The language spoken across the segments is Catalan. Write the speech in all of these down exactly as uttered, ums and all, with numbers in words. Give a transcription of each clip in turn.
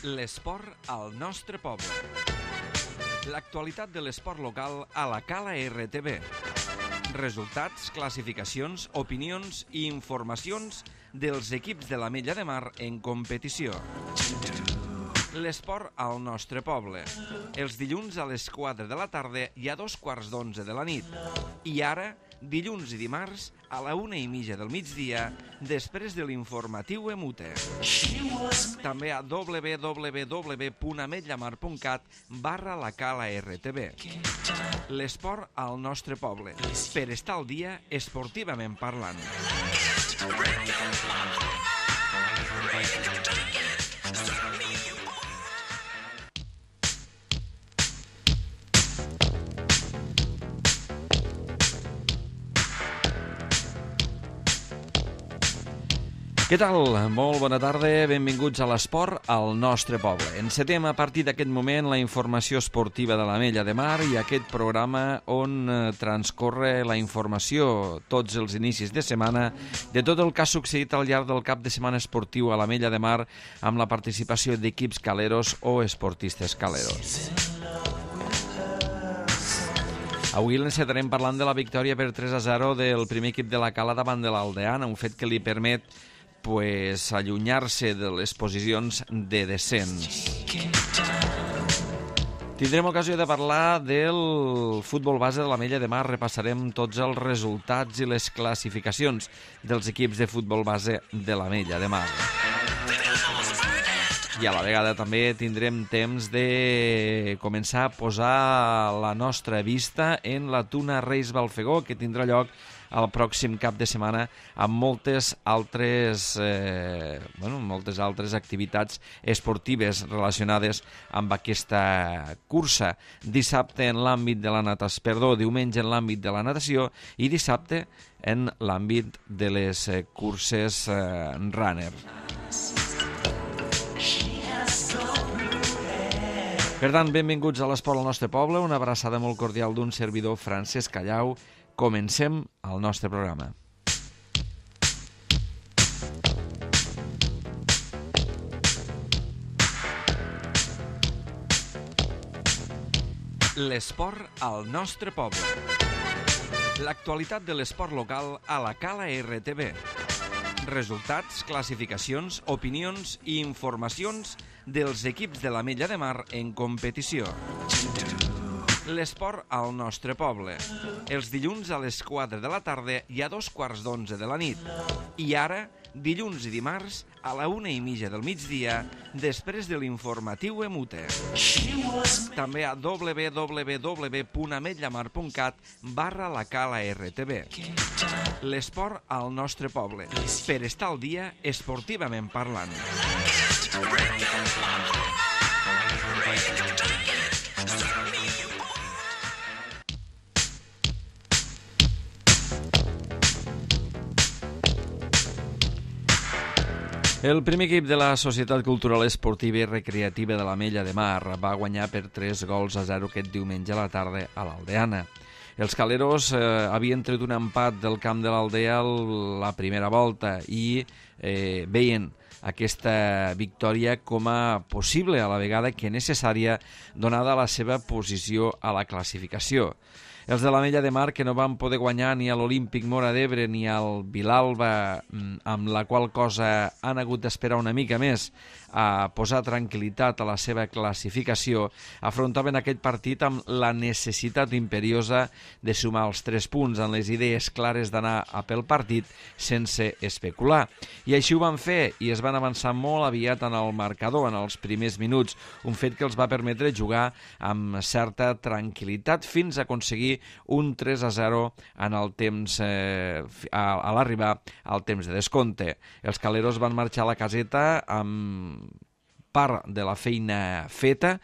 L'esport al nostre poble. L'actualitat de l'esport local a la Cala R T V. Resultats, classificacions, opinions i informacions dels equips de l'Ametlla de Mar en competició. L'esport al nostre poble. Els dilluns a les quatre de la tarda i a dos quarts d'onze de la nit. I ara, dilluns i dimarts, a la una i mitja del migdia, després de l'informatiu Emute. També a w w w punt ametllamar punt cat barra la Cala R T V. L'esport al nostre poble. Per estar al dia esportivament parlant. Què tal? Molt bona tarda, benvinguts a l'esport al nostre poble. Encetem a partir d'aquest moment la informació esportiva de l'Ametlla de Mar i aquest programa on transcorre la informació tots els inicis de setmana de tot el que ha succeït al llarg del cap de setmana esportiu a l'Ametlla de Mar amb la participació d'equips caleros o esportistes caleros. Avui l'encetarem parlant de la victòria per tres a zero del primer equip de la Cala davant de l'Aldeana, un fet que li permet pues, allunyar-se de les posicions de descens. Tindrem ocasió de parlar del futbol base de l'Ametlla de Mar. Repassarem tots els resultats i les classificacions dels equips de futbol base de l'Ametlla de Mar. I a la vegada també tindrem temps de començar a posar la nostra vista en la Tuna Reis Balfegó, que tindrà lloc el pròxim cap de setmana amb moltes altres, eh, bueno, moltes altres activitats esportives relacionades amb aquesta cursa. Dissabte en l'àmbit de la natació, perdó, diumenge en l'àmbit de la natació i dissabte en l'àmbit de les eh, curses eh, runner. Per tant, benvinguts a l'esport al nostre poble, una abraçada molt cordial d'un servidor, Francesc Callau. Comencem el nostre programa. L'esport al nostre poble. L'actualitat de l'esport local a la Cala R T V. Resultats, classificacions, opinions i informacions dels equips de l'Ametlla de Mar en competició. L'esport al nostre poble. Els dilluns a les quatre de la tarda i a dos quarts d'onze de la nit. I ara, dilluns i dimarts, a la una i mitja del migdia, després de l'informatiu Emute. També a w w w punt ametllamar punt cat barra la Cala R T V. L'esport al nostre poble. Per estar al dia esportivament parlant. El primer equip de la Societat Cultural Esportiva i Recreativa de l'Ametlla de Mar va guanyar per tres gols a zero aquest diumenge a la tarda a l'Aldeana. Els caleros eh, havien tret un empat del camp de l'Aldea la primera volta i eh, veien aquesta victòria com a possible, a la vegada que necessària, donada la seva posició a la classificació. Els de l'Ametlla de Mar, que no van poder guanyar ni a l'Olímpic Móra d'Ebre ni al Vilalba, amb la qual cosa han hagut d'esperar una mica més a posar tranquil·litat a la seva classificació, afrontaven aquest partit amb la necessitat imperiosa de sumar els tres punts, amb les idees clares d'anar a pel partit sense especular. I així ho van fer i es van avançar molt aviat en el marcador, en els primers minuts, un fet que els va permetre jugar amb certa tranquil·litat fins a aconseguir un tres a zero en el temps, eh, a, a l'arribar al temps de descompte. Els caleros van marxar a la caseta amb part de la feina feta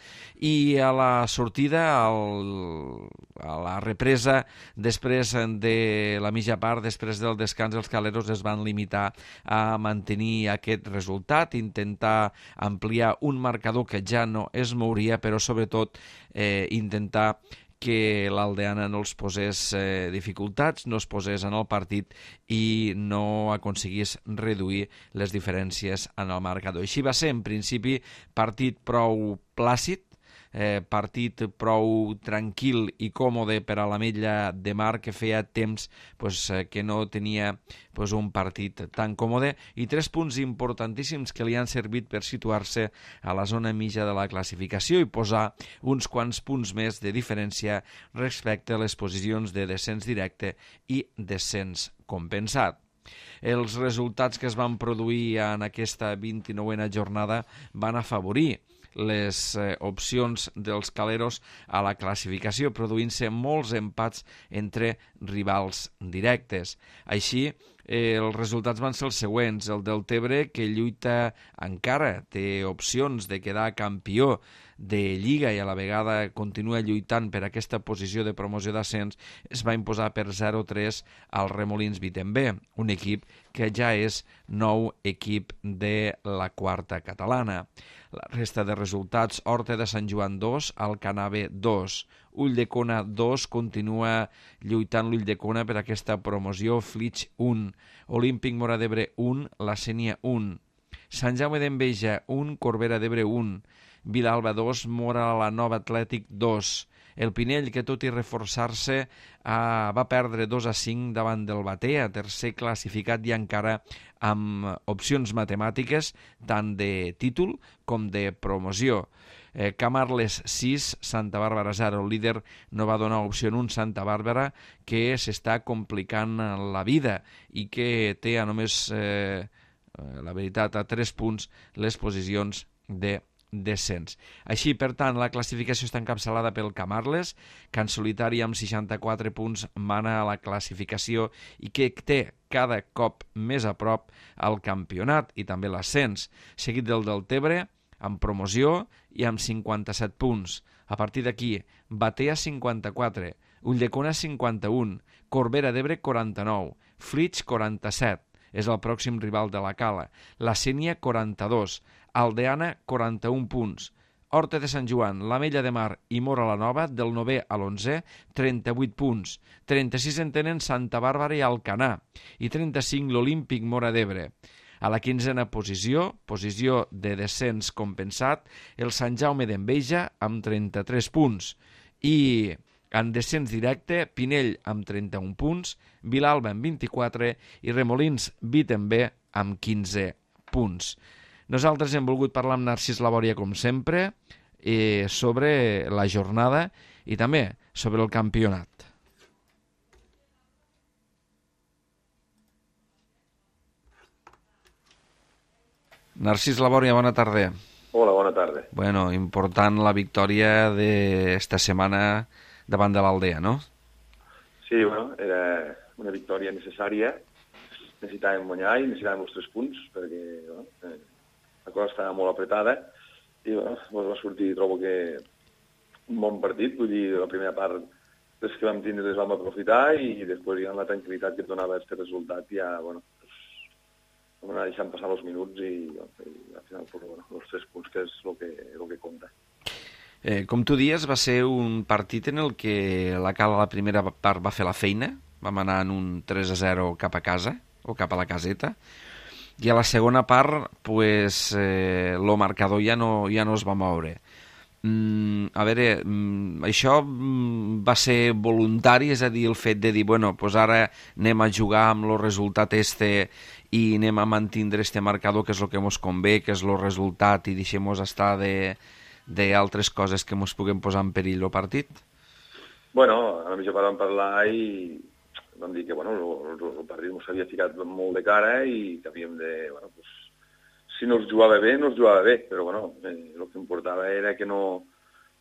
i a la sortida, al, a la represa, després de la mitja part, després del descans, els caleros es van limitar a mantenir aquest resultat, intentar ampliar un marcador que ja no es mouria, però sobretot eh, intentar que l'Aldeana no els posés eh, dificultats, no es posés en el partit i no aconseguís reduir les diferències en el marcador. Així va ser, en principi, partit prou plàcid, Eh, partit prou tranquil i còmode per a l'Ametlla de Mar, que feia temps pues, eh, que no tenia pues, un partit tan còmode, i tres punts importantíssims que li han servit per situar-se a la zona mitja de la classificació i posar uns quants punts més de diferència respecte a les posicions de descens directe i descens compensat. Els resultats que es van produir en aquesta vint-i-nouena jornada van afavorir les eh, opcions dels caleros a la classificació, produint-se molts empats entre rivals directes. Així, eh, els resultats van ser els següents. El Deltebre, que lluita encara, té opcions de quedar campió de Lliga i a la vegada continua lluitant per aquesta posició de promoció d'ascens, es va imposar per zero a tres al Remolins Vitember, un equip que ja és nou equip de la quarta catalana. La resta de resultats: Horta de Sant Joan dos, Alcanave dos, Ulldecona dos, continua lluitant l'Ulldecona per aquesta promoció, Flix un, Olímpic Móra d'Ebre un, La Sénia un, Sant Jaume d'Enveja un, Corbera d'Ebre un, Vilalba dos, Móra la Nova Atlètic dos. El Pinell, que tot i reforçar-se, eh, va perdre dos a cinc davant del Batea, tercer classificat i encara amb opcions matemàtiques tant de títol com de promoció. Eh, Camarles sis, Santa Bàrbara zero. El líder no va donar opció en un Santa Bàrbara que s'està complicant la vida i que té a només, eh, la veritat, a tres punts les posicions de descens. Així, per tant, la classificació està encapçalada pel Camarles, que en solitari amb seixanta-quatre punts mana a la classificació i que té cada cop més a prop el campionat i també l'ascens, seguit del Deltebre amb promoció i amb cinquanta-set punts. A partir d'aquí, Batea cinquanta-quatre, Ulldecona cinquanta-un, Corbera d'Ebre quaranta-nou, Flix quaranta-set, és el pròxim rival de la Cala, La Sénia quaranta-dos, Aldeana quaranta-un punts, Horta de Sant Joan, l'Ametlla de Mar i Móra la Nova, del novè a l'onzè, trenta-vuit punts, trenta-sis en tenen Santa Bàrbara i Alcanar, i trenta-cinc l'Olímpic Móra d'Ebre. A la quinzena posició, posició de descens compensat, el Sant Jaume d'Enveja amb trenta-tres punts, i en descens directe, Pinell amb trenta-un punts, Vilalba amb vint-i-quatre i Remolins Vitember amb quinze punts. Nosaltres hem volgut parlar amb Narcís Labòria, com sempre, eh, sobre la jornada i també sobre el campionat. Narcís Labòria, bona tarda. Hola, bona tarda. Bueno, important la victòria d'esta setmana davant de l'Aldea, no? Sí, bueno, era una victòria necessària. Necessitàvem guanyar i necessitàvem els tres punts, perquè bueno, eh, la cosa estava molt apretada i bueno, va sortir, trobo que un bon partit. Vull dir, la primera part, les que vam tindre les vam aprofitar i després ja la tranquil·litat que et donava aquest resultat ja, bueno, pues, vam anar deixant passar els minuts i, i al final pues, bueno, els tres punts, que és el que, el que compta. Eh, com tu dies, va ser un partit en el que la Cala a la primera part va fer la feina, vam anar en un tres a zero cap a casa, o cap a la caseta, i a la segona part, pues, eh, el marcador ja no, ja no es va moure. Mm, a veure, mm, això mm, va ser voluntari, és a dir, el fet de dir, bueno, pues ara anem a jugar amb el resultat este i anem a mantindre este marcador, que és el que ens convé, que és el resultat, i deixem-nos estar de d'altres coses que ens puguem posar en perill el partit? Bueno, a mi ja vam parlar i vam dir que bueno, el, el, el partit ens havia ficat molt de cara i que havíem de... Bueno, pues, si no es jugava bé, no es jugava bé, però bueno, eh, el que importava era que no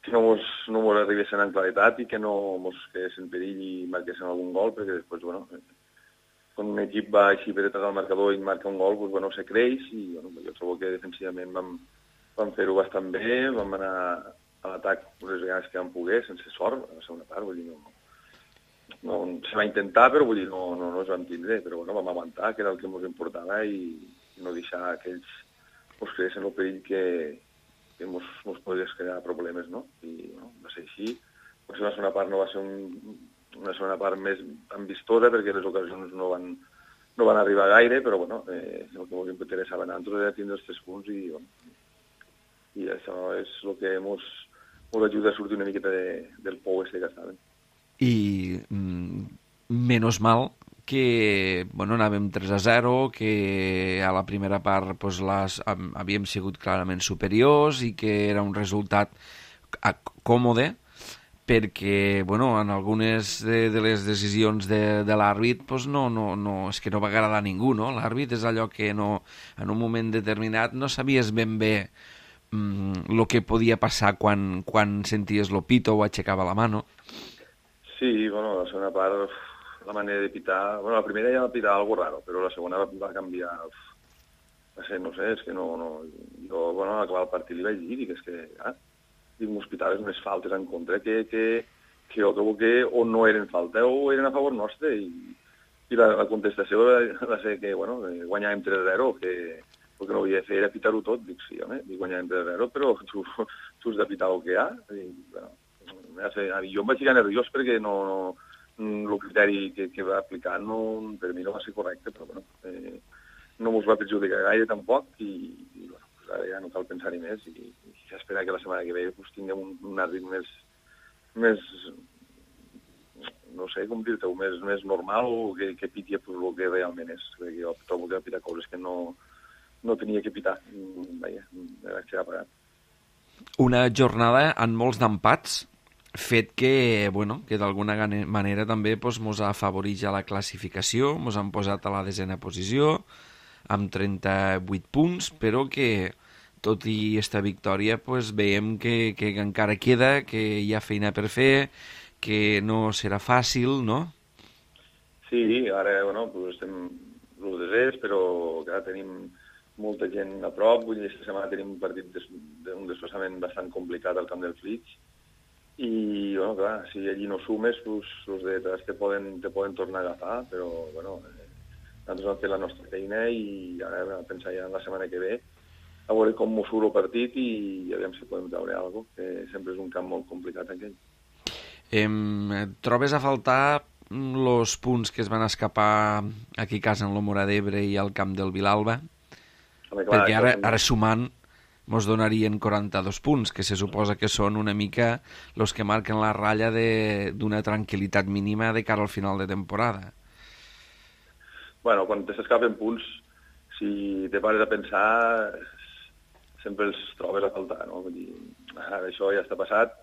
que no mos, no mos arribessin en claretat i que no mos quedessin en perill i marquessin algun gol, perquè després, bueno, quan un equip va així per detrás del marcador i marca un gol, pues, bueno, se creix i bueno, jo trobo que defensivament vam, vam fer-ho bastant bé, vam anar a l'atac les vegades que vam poder, sense sort, a la segona part, vull dir, no, no, se va intentar, però vull dir, no, no, no es vam tindre, però bueno, vam aguantar, que era el que ens importava, i no deixar que ells ens creessin el perill que, que ens podria crear problemes, no? I bueno, va ser així, Potser la segona part no va ser un, una segona part més tan vistosa perquè les ocasions no van, no van arribar gaire, però bueno, eh, el que ens interessava a nosaltres era tindre els tres punts i, bueno, i això és el que ens ajuda a sortir una miqueta de, del pou este que estàvem. I mm, menos mal que bueno, anàvem tres a zero, que a la primera part pues, les, havíem sigut clarament superiors i que era un resultat còmode, perquè bueno, en algunes de, de les decisions de, de l'àrbit pues no, no, no, és que no va agradar a ningú, no? L'àrbit és allò que no, en un moment determinat no sabies ben bé el mm, que podia passar quan, quan senties lo pito o aixecava la mà, no? Sí, bueno, la segona part, la manera de pitar... Bueno, la primera ja va pitar algo raro, però la segona va canviar... Va ser, no sé, és que no... no jo, bueno, a acabar el partit li vaig dir, dic, és que... Ah, dic, m'hospitaves unes faltes en contra que, que, que jo trobo que o no eren falta o eren a favor nostre, i, i la, la contestació va, va ser que, bueno, guanyàvem tres a zero, que el que no havia de fer era pitar-ho tot. Dic, sí, home, dic, guanyàvem tres a zero, però tu, tu has de pitar el que hi ha. I, bueno, jo em vaig ficar nerviós perquè no, no, el criteri que, que va aplicar no, per mi no va ser correcte, però bueno, eh, no mos va perjudicar gaire tampoc, i, i bueno, pues ara ja no cal pensar-hi més, i, i esperar que la setmana que ve pues, tinguem un, un àrbit més, més, no sé com dir-te, més, més normal, o que, que piti pues, el que realment és, perquè jo trobo que va pitar coses que no, no tenia que pitar. Vaja, me vaig quedar pagat. Una jornada amb molts d'empats, fet que, bueno, que d'alguna manera també pues, mos ha afavorit ja la classificació, mos han posat a la desena posició, amb trenta-vuit punts, però que, tot i esta victòria, pues, veiem que, que encara queda, que hi ha feina per fer, que no serà fàcil, no? Sí, ara, bueno, pues estem l'u desès, però clar, tenim molta gent a prop, vull dir, aquesta setmana tenim un partit d'un desplaçament bastant complicat al camp del Flix, i, bueno, clar, si allí no sumes, pues, els de te poden, te poden tornar a agafar, però, bueno, eh, nosaltres hem fet la nostra feina i ara a pensar ja en la setmana que ve, a veure com m'ho surt el partit i aviam si podem treure alguna cosa, que sempre és un camp molt complicat aquell. Em, trobes a faltar els punts que es van escapar aquí a casa en l'Omora d'Ebre i al camp del Vilalba? Home, clar, perquè ara, ara sumant mos donarien quaranta-dos punts, que se suposa que són una mica els que marquen la ratlla d'una tranquil·litat mínima de cara al final de temporada. Bueno, quan te s'escapen punts, si te pares a pensar, sempre els trobes a faltar, no? Vull dir, ara això ja està passat,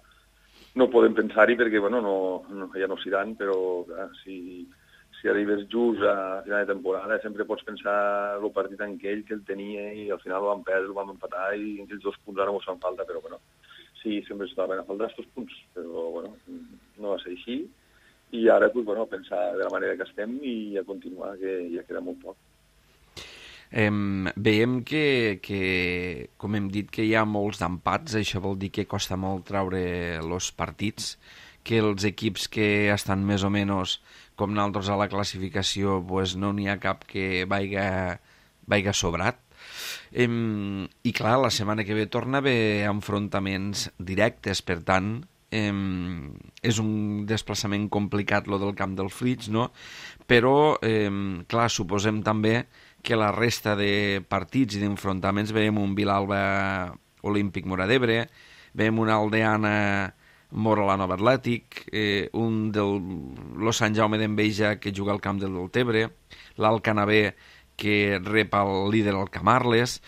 no podem pensar-hi perquè, bueno, no, no, ja no seran, però clar, si, si arribes just a final de temporada sempre pots pensar el partit en aquell que el tenia i al final el vam perdre, el vam empatar i aquells dos punts ara mos fan falta, però bueno, sí, sempre es troben a faltar aquests punts, però bueno, no va ser així. I ara, pues, bueno, pensar de la manera que estem i a continuar, que ja queda molt poc. Eh, veiem que, que, com hem dit, que hi ha molts d'empats, això vol dir que costa molt treure els partits, que els equips que estan més o menys com nosaltres a la classificació, pues, no n'hi ha cap que vaiga, vaiga sobrat. Eh, I clar, la setmana que ve torna a haver enfrontaments directes, per tant, Eh, és un desplaçament complicat lo del camp del Flix, no? Però eh, clar, suposem també que la resta de partits i d'enfrontaments veiem un Vilalba Olímpic Mora d'Ebre, veiem una Aldeana Mora la Nova Atlètic, eh, un del lo Sant Jaume d'Enveja que juga al camp del Deltebre, l'Alt Canavè que rep el líder al Camarles.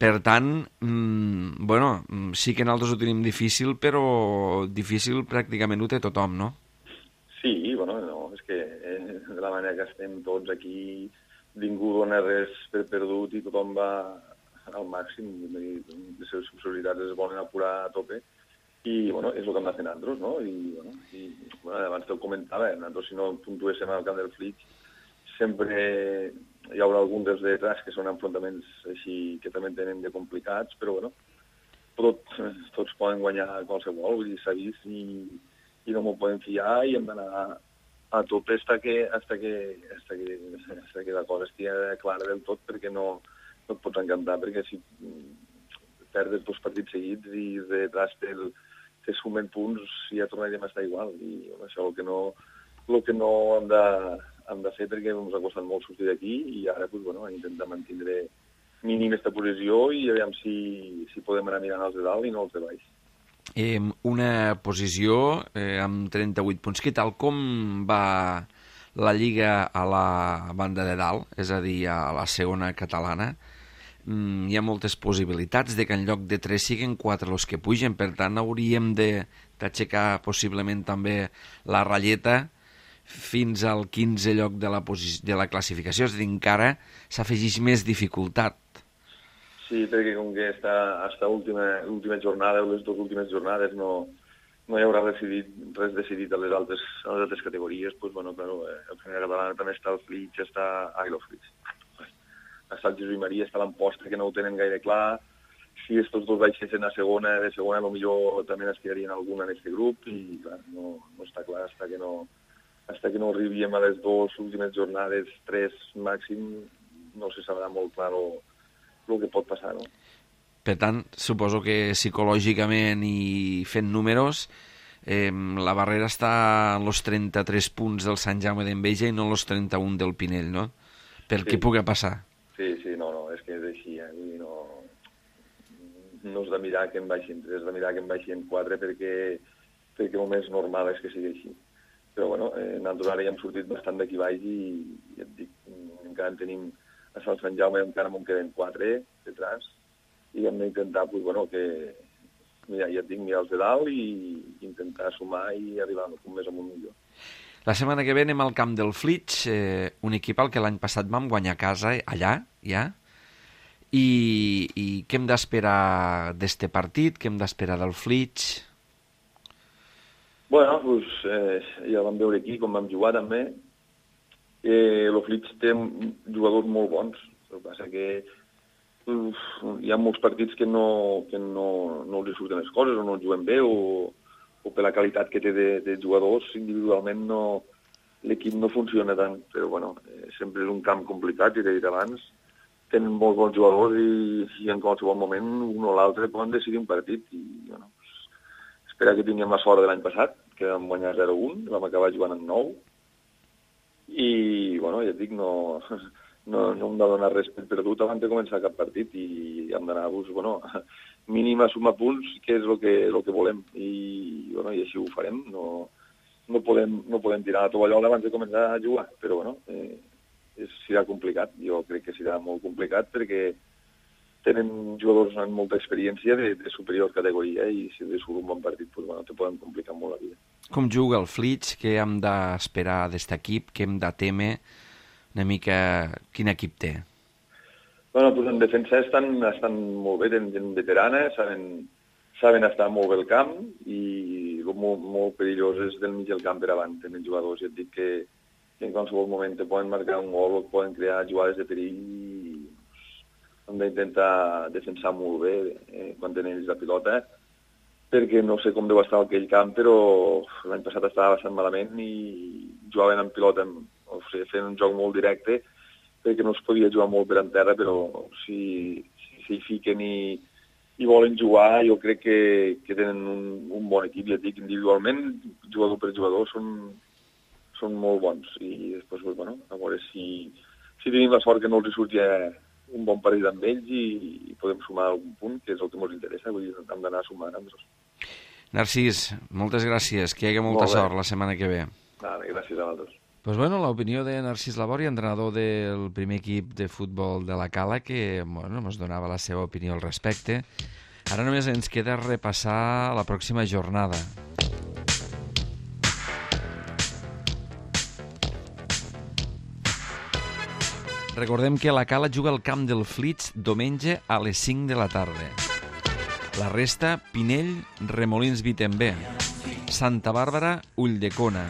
Per tant, mmm, bueno, sí que nosaltres ho tenim difícil, però difícil pràcticament ho té tothom, no? Sí, bueno, no, és que eh, de la manera que estem tots aquí, ningú dona res per perdut i tothom va al màxim, les seves possibilitats es volen apurar a tope, i bueno, és el que hem de fer nosaltres, no? I, bueno, i, bueno, abans te'l comentava, nosaltres si no puntuéssim al camp del Flix, sempre hi haurà algun dels detrás que són enfrontaments així que també tenen de complicats, però bueno, tot, tots poden guanyar qualsevol, vull dir, s'ha vist i, i no m'ho podem fiar i hem d'anar a tope hasta que, hasta que, hasta que, hasta que la cosa estigui clara del tot, perquè no, no et pots encantar, perquè si perdes dos partits seguits i detrás té el, que sumen punts i ja tornaríem a estar igual. I bueno, això és el que no, el que no hem, de, hem de fer, perquè ens ha costat molt sortir d'aquí i ara pues, bueno, intentar mantenir mínim aquesta posició i aviam si, si podem anar mirant els de dalt i no els de baix. Eh, una posició eh, amb trenta-vuit punts. Què tal? Com va la Lliga a la banda de dalt, és a dir, a la segona catalana? Mm, hi ha moltes possibilitats de que en lloc de tres siguin quatre els que pugen, per tant hauríem d'aixecar possiblement també la ratlleta fins al quinze lloc de la, de la classificació, és a dir, encara s'afegeix més dificultat. Sí, perquè com que està hasta última, última jornada o les dues últimes jornades no, no hi haurà decidit, res decidit a les altres, a les altres categories, doncs, bueno, claro, eh, el primer català també està el Flix, està... Ai, el Flix. Està el Jesús i Maria, està l'Amposta, que no ho tenen gaire clar. Si estos dos baixessin a segona, de segona potser també n'estirarien alguna en aquest grup i clar, no, no està clar fins que no, fins que no arribíem a les dues últimes jornades, tres màxim, no se sabrà molt clar el, el que pot passar, no? Per tant, suposo que psicològicament i fent números, eh, la barrera està en els trenta-tres punts del Sant Jaume d'Enveja i no en els trenta-un del Pinell, no? Per sí. Què pugui passar. Sí, sí, no, no, és que és així, eh? Vull dir, no, no és de mirar que en baixin tres, és de mirar que en baixin quatre, perquè, perquè el més normal és que sigui així. Però, bueno, eh, nosaltres ara ja hem sortit bastant d'aquí baix i, ja et dic, encara en tenim a Sant Jaume, encara m'en queden quatre detrás, i hem d'intentar, pues, bueno, que, mira, ja et dic, mirar els de dalt i intentar sumar i arribar un més amunt millor. La setmana que ve anem al camp del Flix, eh, un equip al que l'any passat vam guanyar a casa, allà, ja. I, i què hem d'esperar d'este partit? Què hem d'esperar del Flix? Bueno, pues, eh, ja vam veure aquí com vam jugar també. Eh, el Flix té jugadors molt bons. El que passa que uf, hi ha molts partits que no, que no, no els surten les coses o no els juguen bé o... o per la qualitat que té de, de jugadors, individualment no, l'equip no funciona tant, però bueno, eh, sempre és un camp complicat, i t'he dit abans, tenen molts bons jugadors i, i en qualsevol moment un o l'altre poden decidir un partit i bueno, pues, espera que tinguem la sort de l'any passat, que vam guanyar zero a un, vam acabar jugant en nou i bueno, ja et dic, no, no, no hem de donar res per perdut abans de començar cap partit i hem d'anar, pues, bueno, mínim a sumar punts, que és el que, el que volem, i, bueno, i així ho farem. No, no, podem, no podem tirar la tovallola abans de començar a jugar, però bueno, eh, és, serà complicat. Jo crec que serà molt complicat perquè tenen jugadors amb molta experiència de, de superior categoria i si de surt un bon partit, pues, bueno, te poden complicar molt la vida. Com juga el Flix? Què hem d'esperar d'aquest equip? Què hem de temer? Una mica quin equip té? Bueno, pues en defensa estan, estan molt bé, tenen gent veterana, saben, saben estar molt bé al camp i el molt, molt perillós és del mig del camp per avant. Tenen jugadors, ja et dic que, que en qualsevol moment te poden marcar un gol o poden crear jugades de perill i pues, hem d'intentar defensar molt bé eh, quan tenen ells la pilota, perquè no sé com deu estar aquell camp, però l'any passat estava bastant malament i jugaven amb pilota, o sigui, fent un joc molt directe, perquè no es podia jugar molt per en terra, però si s'hi si, fiquen i, i volen jugar, jo crec que, que tenen un, un bon equip, ja et dic, individualment, jugador per jugador, són, són molt bons. I després, bueno, a veure si, si tenim la sort que no els surti un bon partit amb ells i, i podem sumar algun punt, que és el que ens interessa, vull dir, hem d'anar sumant amb els. Narcís, moltes gràcies, que hi hagi molta Molt sort la setmana que ve. Vale, gràcies a vosaltres. Pues bueno, l'opinió de Narcís Labori, entrenador del primer equip de futbol de la Cala, que bueno, ens donava la seva opinió al respecte. Ara només ens queda repassar la pròxima jornada. Recordem que la Cala juga al camp del Flix diumenge a les cinc de la tarda. La resta, Pinell, Remolins Vitembé, Santa Bàrbara, Ulldecona,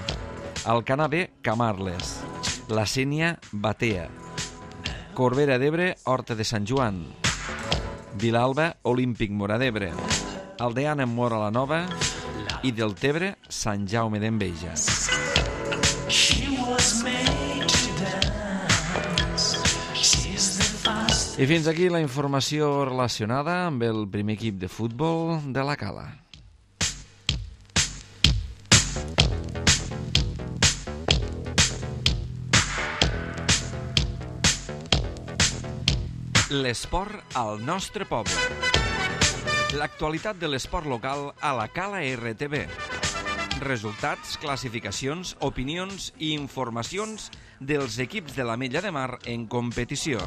Alcanar B, Camarles, La Sénia, Batea, Corbera d'Ebre, Horta de Sant Joan, Vilalba, Olímpic Móra d'Ebre, Aldeana, Móra la Nova i Deltebre, Sant Jaume d'Enveja. I fins aquí la informació relacionada amb el primer equip de futbol de la Cala. L'esport al nostre poble. L'actualitat de l'esport local a la Cala R T V. Resultats, classificacions, opinions i informacions dels equips de l'Ametlla de Mar en competició.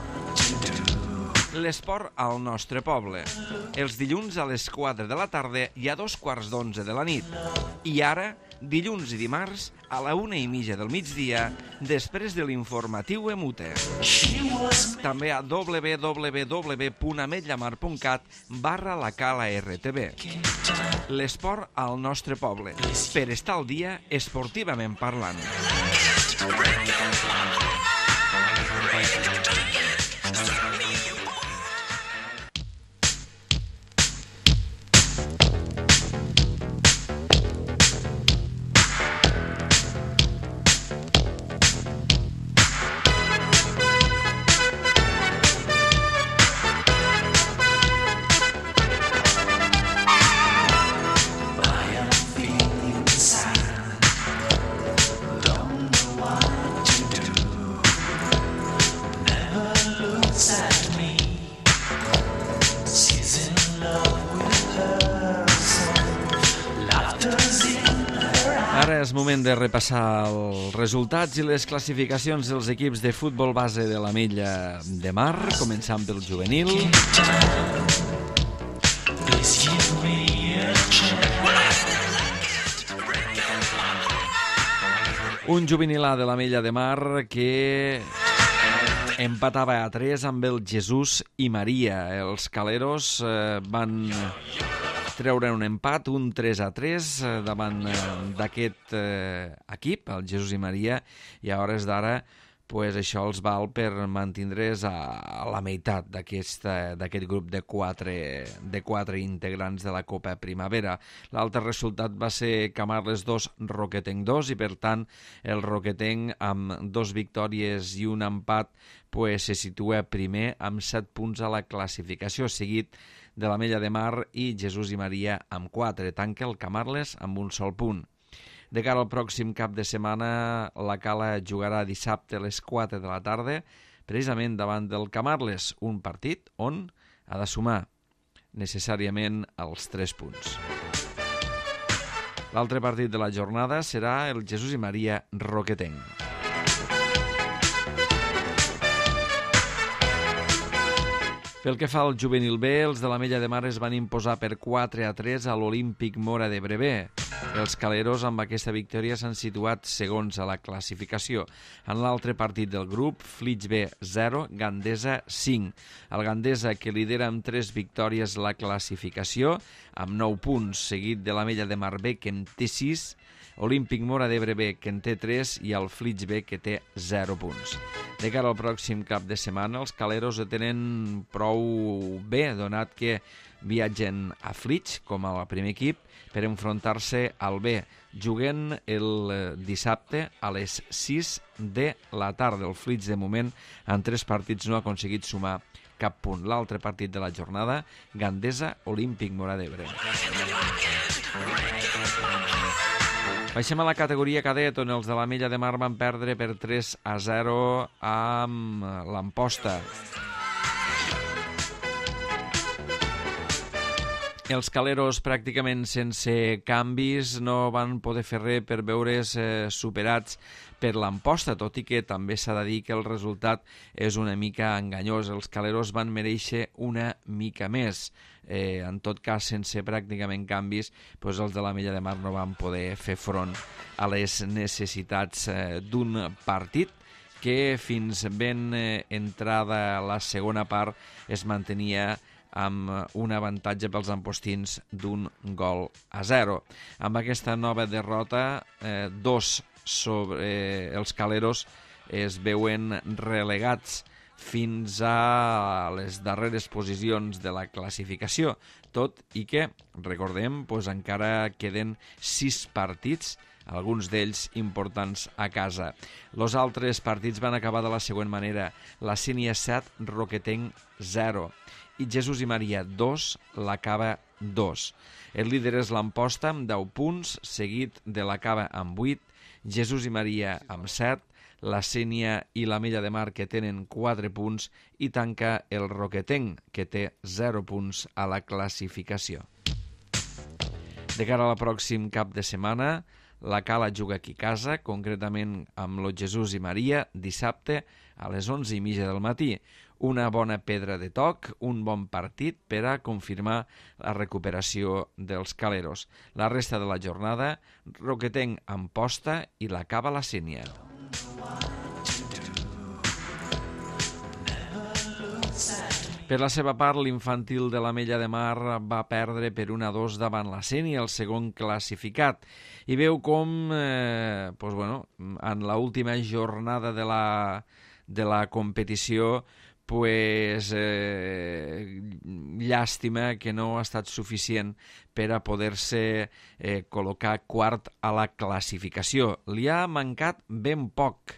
L'esport al nostre poble. Els dilluns a les quatre de la tarda i a dos quarts d'onze de la nit. I ara, dilluns i dimarts, a la una i mitja del migdia, després de l'informatiu Emute. També a w w w punt ametllamar punt cat barra la Cala R T V. L'esport al nostre poble, per estar al dia esportivament parlant. Ara és moment de repassar els resultats i les classificacions dels equips de futbol base de l'Ametlla de Mar, començant pel juvenil. Un juvenil A de l'Ametlla de Mar que empatava a tres amb el Jesús i Maria. Els caleros eh, van treure un empat, un tres a tres davant d'aquest eh, equip, el Jesús i Maria, i a hores d'ara pues, això els val per mantindre's a, a la meitat d'aquest grup de quatre, de quatre integrants de la Copa Primavera. L'altre resultat va ser Camarles dos, Roquetenc dos, i per tant el Roquetenc amb dos victòries i un empat pues, se situa primer amb set punts a la classificació, seguit de l'Ametlla de Mar i Jesús i Maria amb quatre. Tanca el Camarles amb un sol punt. De cara al pròxim cap de setmana, la Cala jugarà dissabte a les quatre de la tarda, precisament davant del Camarles, un partit on ha de sumar necessàriament els tres punts. L'altre partit de la jornada serà el Jesús i Maria Roquetenc. Pel que fa al juvenil B, els de l'Ametlla de Mar es van imposar per quatre a tres a l'Olímpic Móra d'Ebre. Els caleros amb aquesta victòria s'han situat segons a la classificació. En l'altre partit del grup, Flix B zero, Gandesa cinc. El Gandesa, que lidera amb tres victòries la classificació, amb nou punts, seguit de l'Ametlla de Mar B, que en té sis, Olímpic Móra d'Ebre B, que en té tres, i el Flix B, que té zero punts. De cara al pròxim cap de setmana, els caleros ho tenen prou bé, donat que viatgen a Flix, com a primer equip, per enfrontar-se al B. Juguen el dissabte a les sis de la tarda. El Flix, de moment, en tres partits no ha aconseguit sumar cap punt. L'altre partit de la jornada, Gandesa, Olímpic Móra d'Ebre. Baixem a la categoria cadet, on els de l'Ametlla de Mar van perdre per tres a zero amb l'Amposta. Els caleros, pràcticament sense canvis, no van poder fer res per veure's eh, superats per l'Amposta, tot i que també s'ha de dir que el resultat és una mica enganyós. Els caleros van mereixer una mica més. Eh, en tot cas, sense pràcticament canvis, doncs els de l'Ametlla de Mar no van poder fer front a les necessitats eh, d'un partit que fins ben eh, entrada la segona part es mantenia amb un avantatge pels ampostins d'un gol a zero. Amb aquesta nova derrota, eh, dos sobre eh, els caleros es veuen relegats fins a les darreres posicions de la classificació, tot i que, recordem, doncs encara queden sis partits, alguns d'ells importants a casa. Els altres partits van acabar de la següent manera: la Sínia set, Roquetenc zero, i Jesús i Maria dos, la Cava dos. El líder és l'Amposta amb deu punts, seguit de la Cava amb vuit, Jesús i Maria amb set, la Sénia i la Mella de Mar que tenen quatre punts i tanca el Roquetenc que té zero punts a la classificació. De cara al pròxim cap de setmana, la Cala juga aquí a casa, concretament amb lo Jesús i Maria, dissabte a les onze i mitja del matí. Una bona pedra de toc, un bon partit per a confirmar la recuperació dels caleros. La resta de la jornada, Roquetenc Amposta i la Cava la Sénia. Per la seva part, l'infantil de la Mella de Mar va perdre per un a dos davant la Sénia, el segon classificat. I veu com, eh, pues bueno, en l'última jornada de la, de la competició, pues, eh, llàstima que no ha estat suficient per a poder-se eh, col·locar quart a la classificació. Li ha mancat ben poc,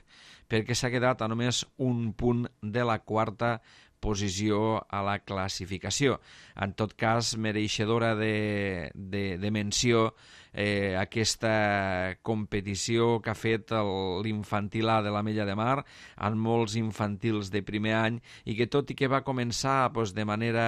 perquè s'ha quedat a només un punt de la quarta posició a la classificació. En tot cas, mereixedora de, de, de menció eh, aquesta competició que ha fet l'infantil A de la Mella de Mar en molts infantils de primer any i que tot i que va començar pues, de manera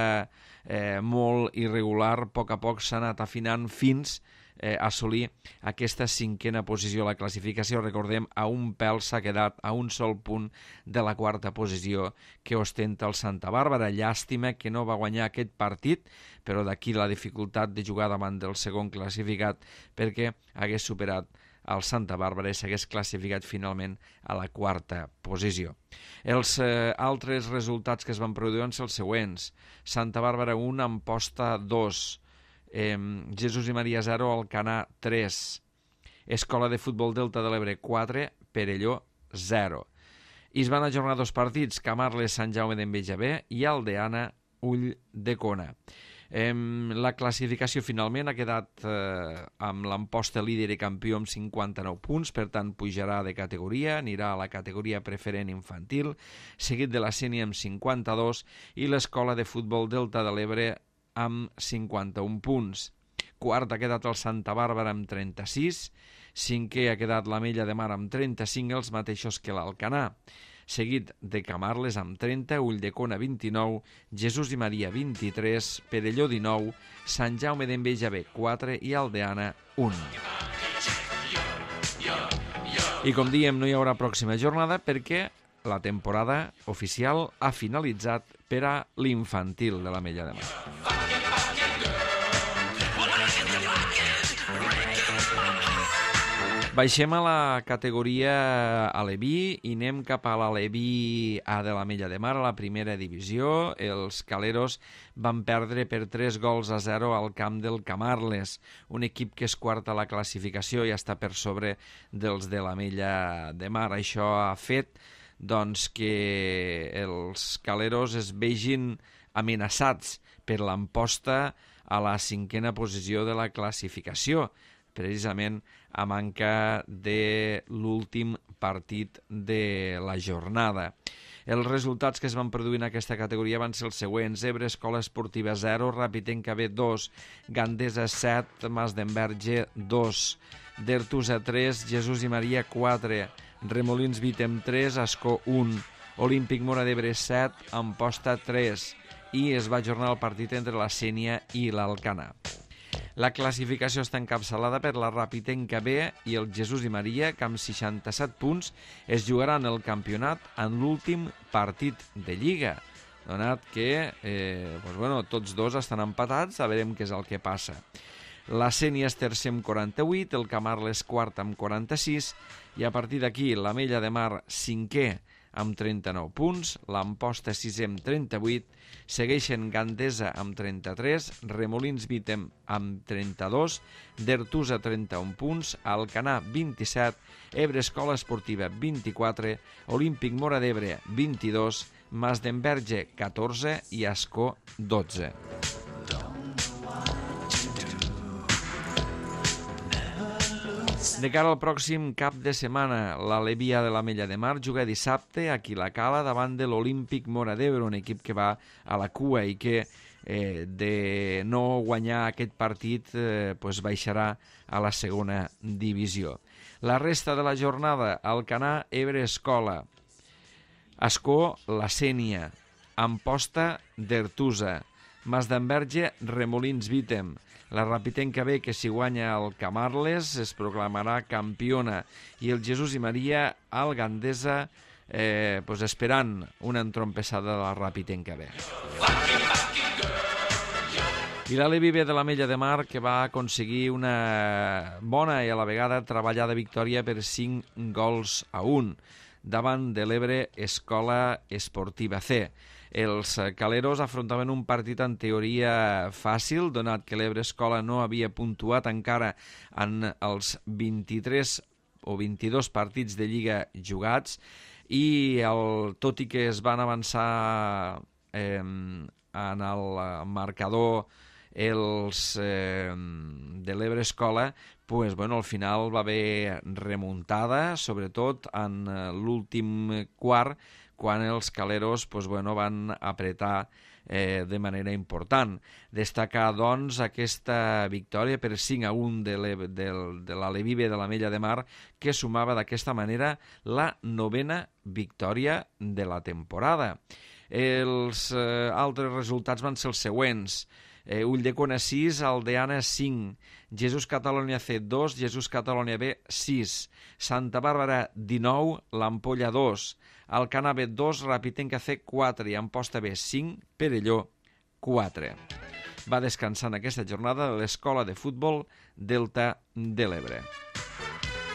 eh, molt irregular, a poc a poc s'ha anat afinant fins Eh, assolir aquesta cinquena posició a la classificació. Recordem, a un pèl s'ha quedat a un sol punt de la quarta posició que ostenta el Santa Bàrbara. Llàstima que no va guanyar aquest partit, però d'aquí la dificultat de jugar davant del segon classificat perquè hagués superat el Santa Bàrbara i s'hagués classificat finalment a la quarta posició. Els eh, altres resultats que es van produir van ser els següents. Santa Bàrbara un, Amposta dos, Eh, Jesús i Maria zero, Alcanar tres, Escola de Futbol Delta de l'Ebre quatre, Perelló zero. I es van ajornar dos partits, Camarles, Sant Jaume d'Enveja B i Aldeana, Ull de Cona. Eh, la classificació finalment ha quedat eh, amb l'Amposta líder i campió amb cinquanta-nou punts, per tant pujarà de categoria, anirà a la categoria preferent infantil, seguit de la Sénia amb cinquanta-dos i l'Escola de Futbol Delta de l'Ebre amb cinquanta-un punts. Quart ha quedat el Santa Bàrbara amb trenta-sis, cinquè ha quedat la Mella de Mar amb trenta-cinc, els mateixos que l'Alcanar, seguit de Camarles amb trenta, Ulldecona vint-i-nou, Jesús i Maria vint-i-tres, Perelló dinou, Sant Jaume d'Enveja B quatre i Aldeana un. I com diem, no hi haurà pròxima jornada perquè la temporada oficial ha finalitzat per a l'infantil de la Mella de Mar. Baixem a la categoria Aleví i anem cap a l'Aleví A de la Mella de Mar, a la primera divisió. Els caleros van perdre per tres gols a zero al camp del Camarles, un equip que és quart a la classificació i està per sobre dels de la Mella de Mar. Això ha fet doncs, que els caleros es vegin amenaçats per l'Amposta a la cinquena posició de la classificació, precisament a manca de l'últim partit de la jornada. Els resultats que es van produir en aquesta categoria van ser els següents: Ebre Escola Esportiva zero, Rapitenca B dos, Gandesa set, Mas d'Enverge dos, Dertusa tres, Jesús i Maria quatre, Remolins Vitem tres, Ascó un, Olímpic Móra d'Ebre set, Amposta tres, i es va ajornar el partit entre la Sénia i l'Alcanar. La classificació està encapçalada per la Rapitenca B i el Jesús i Maria, que amb seixanta-set punts es jugaran el campionat en l'últim partit de Lliga, donat que eh, doncs, bueno, tots dos estan empatats, a veurem què és el que passa. La Sénia és tercer amb quaranta-vuit, el Camarles quart amb quaranta-sis, i a partir d'aquí la Mella de Mar cinquè amb trenta-nou punts, l'Amposta sisè amb trenta-vuit, segueixen Gandesa amb trenta-tres, Remolins Vitem amb trenta-dos, Dertusa trenta-un punts, Alcanar vint-i-set, Ebre Escola Esportiva vint-i-quatre, Olímpic Móra d'Ebre vint-i-dos, Mas d'Enverge catorze i Ascó dotze. De cara al pròxim cap de setmana, l'Aleví A de la Mella de Mar juga dissabte aquí a la Cala davant de l'Olímpic Móra d'Ebre, un equip que va a la cua i que eh, de no guanyar aquest partit eh, pues baixarà a la segona divisió. La resta de la jornada: Alcanar, Ebre, Escola, Ascó, La Sénia, Amposta, Dertusa, Masdenverge, Remolins, Vítem. La Rapitenca B, que si guanya el Camarles es proclamarà campiona, i el Jesús i Maria, al Gandesa, eh, pues esperant una entrompessada de la Rapitenca B. I l'Alevi B de l'Ametlla de Mar, que va aconseguir una bona i a la vegada treballada victòria per cinc gols a un davant de l'Ebre Escola Esportiva C. Els caleros afrontaven un partit en teoria fàcil, donat que l'Ebre Escola no havia puntuat encara en els vint-i-tres o vint-i-dos partits de Lliga jugats, i el, tot i que es van avançar eh, en el marcador els eh, de l'Ebre Escola, pues, bueno, al final va haver remuntada, sobretot en l'últim quart, quan els caleros pues, bueno, van apretar eh, de manera important. Destacar, doncs, aquesta victòria per cinc a un de l'Alevi B de l'Ametlla de Mar, que sumava d'aquesta manera la novena victòria de la temporada. Els eh, altres resultats van ser els següents: Eh, Ulldecona sis, Aldeana cinc, Jesús Catalonia C dos, Jesús Catalonia B sis, Santa Bàrbara dinou, l'Ampolla dos, Alcanar B dos, Rapitenca C quatre i Amposta B cinc, Perelló quatre. Va descansar en aquesta jornada l'Escola de Futbol Delta de l'Ebre.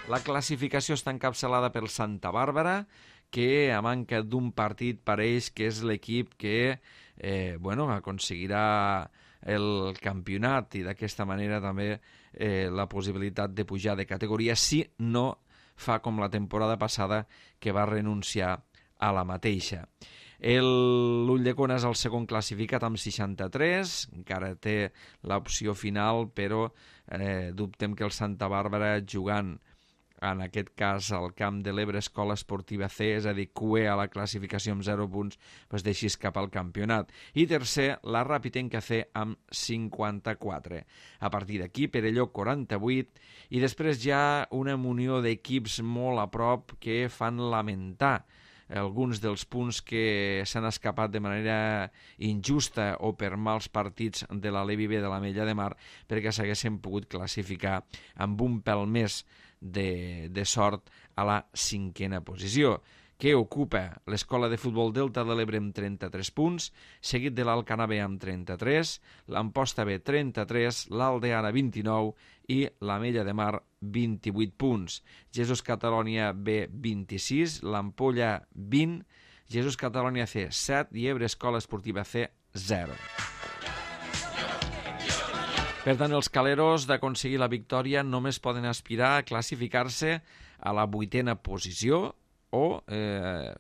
La classificació està encapçalada per Santa Bàrbara, que a manca d'un partit pareix que és l'equip que eh, bueno, aconseguirà el campionat i d'aquesta manera també eh, la possibilitat de pujar de categoria, si no fa com la temporada passada, que va renunciar a la mateixa. L'Ulldecona és el segon classificat amb seixanta-tres, encara té l'opció final, però eh, dubtem que el Santa Bàrbara, jugant en aquest cas al camp de l'Ebre Escola Esportiva C, és a dir, Q E a la classificació amb zero punts, pues deixi escapar el campionat. I tercer, la Rapitenca C amb cinquanta-quatre. A partir d'aquí, Perelló quaranta-vuit, i després hi ha una munió d'equips molt a prop que fan lamentar alguns dels punts que s'han escapat de manera injusta o per mals partits de l'Alevi B de l'Ametlla de Mar, perquè s'haguessin pogut classificar amb un pèl més de, de sort a la cinquena posició, que ocupa l'Escola de Futbol Delta de l'Ebre amb trenta-tres punts, seguit de l'Alcanar B amb trenta-tres, l'Amposta B trenta-tres, l'Aldeana vint-i-nou i l'Ametlla de Mar vint-i-vuit punts. Jesús Catalonia B vint-i-sis, l'Ampolla vint, Jesús Catalonia C set i Ebre Escola Esportiva C zero. Per tant, els caleros, d'aconseguir la victòria, només poden aspirar a classificar-se a la vuitena posició, o eh,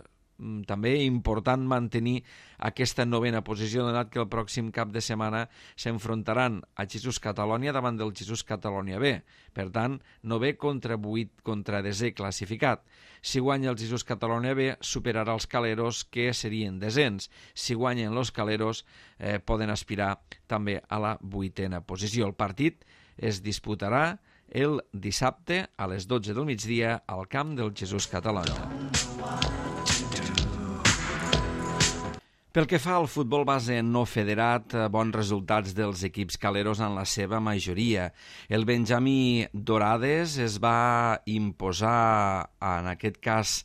també important mantenir aquesta novena posició, donat que el pròxim cap de setmana s'enfrontaran a Jesús Catalonia davant del Jesús Catalonia B. Per tant, novè contra vuit contra desè classificat. Si guanya el Jesús Catalonia B, superarà els caleros, que serien desens. Si guanyen els caleros, eh, poden aspirar també a la vuitena posició. El partit es disputarà el dissabte a les dotze del migdia al camp del Jesús Catalonia. Pel que fa al futbol base no federat, bons resultats dels equips caleros en la seva majoria. El Benjamí Dorades es va imposar, en aquest cas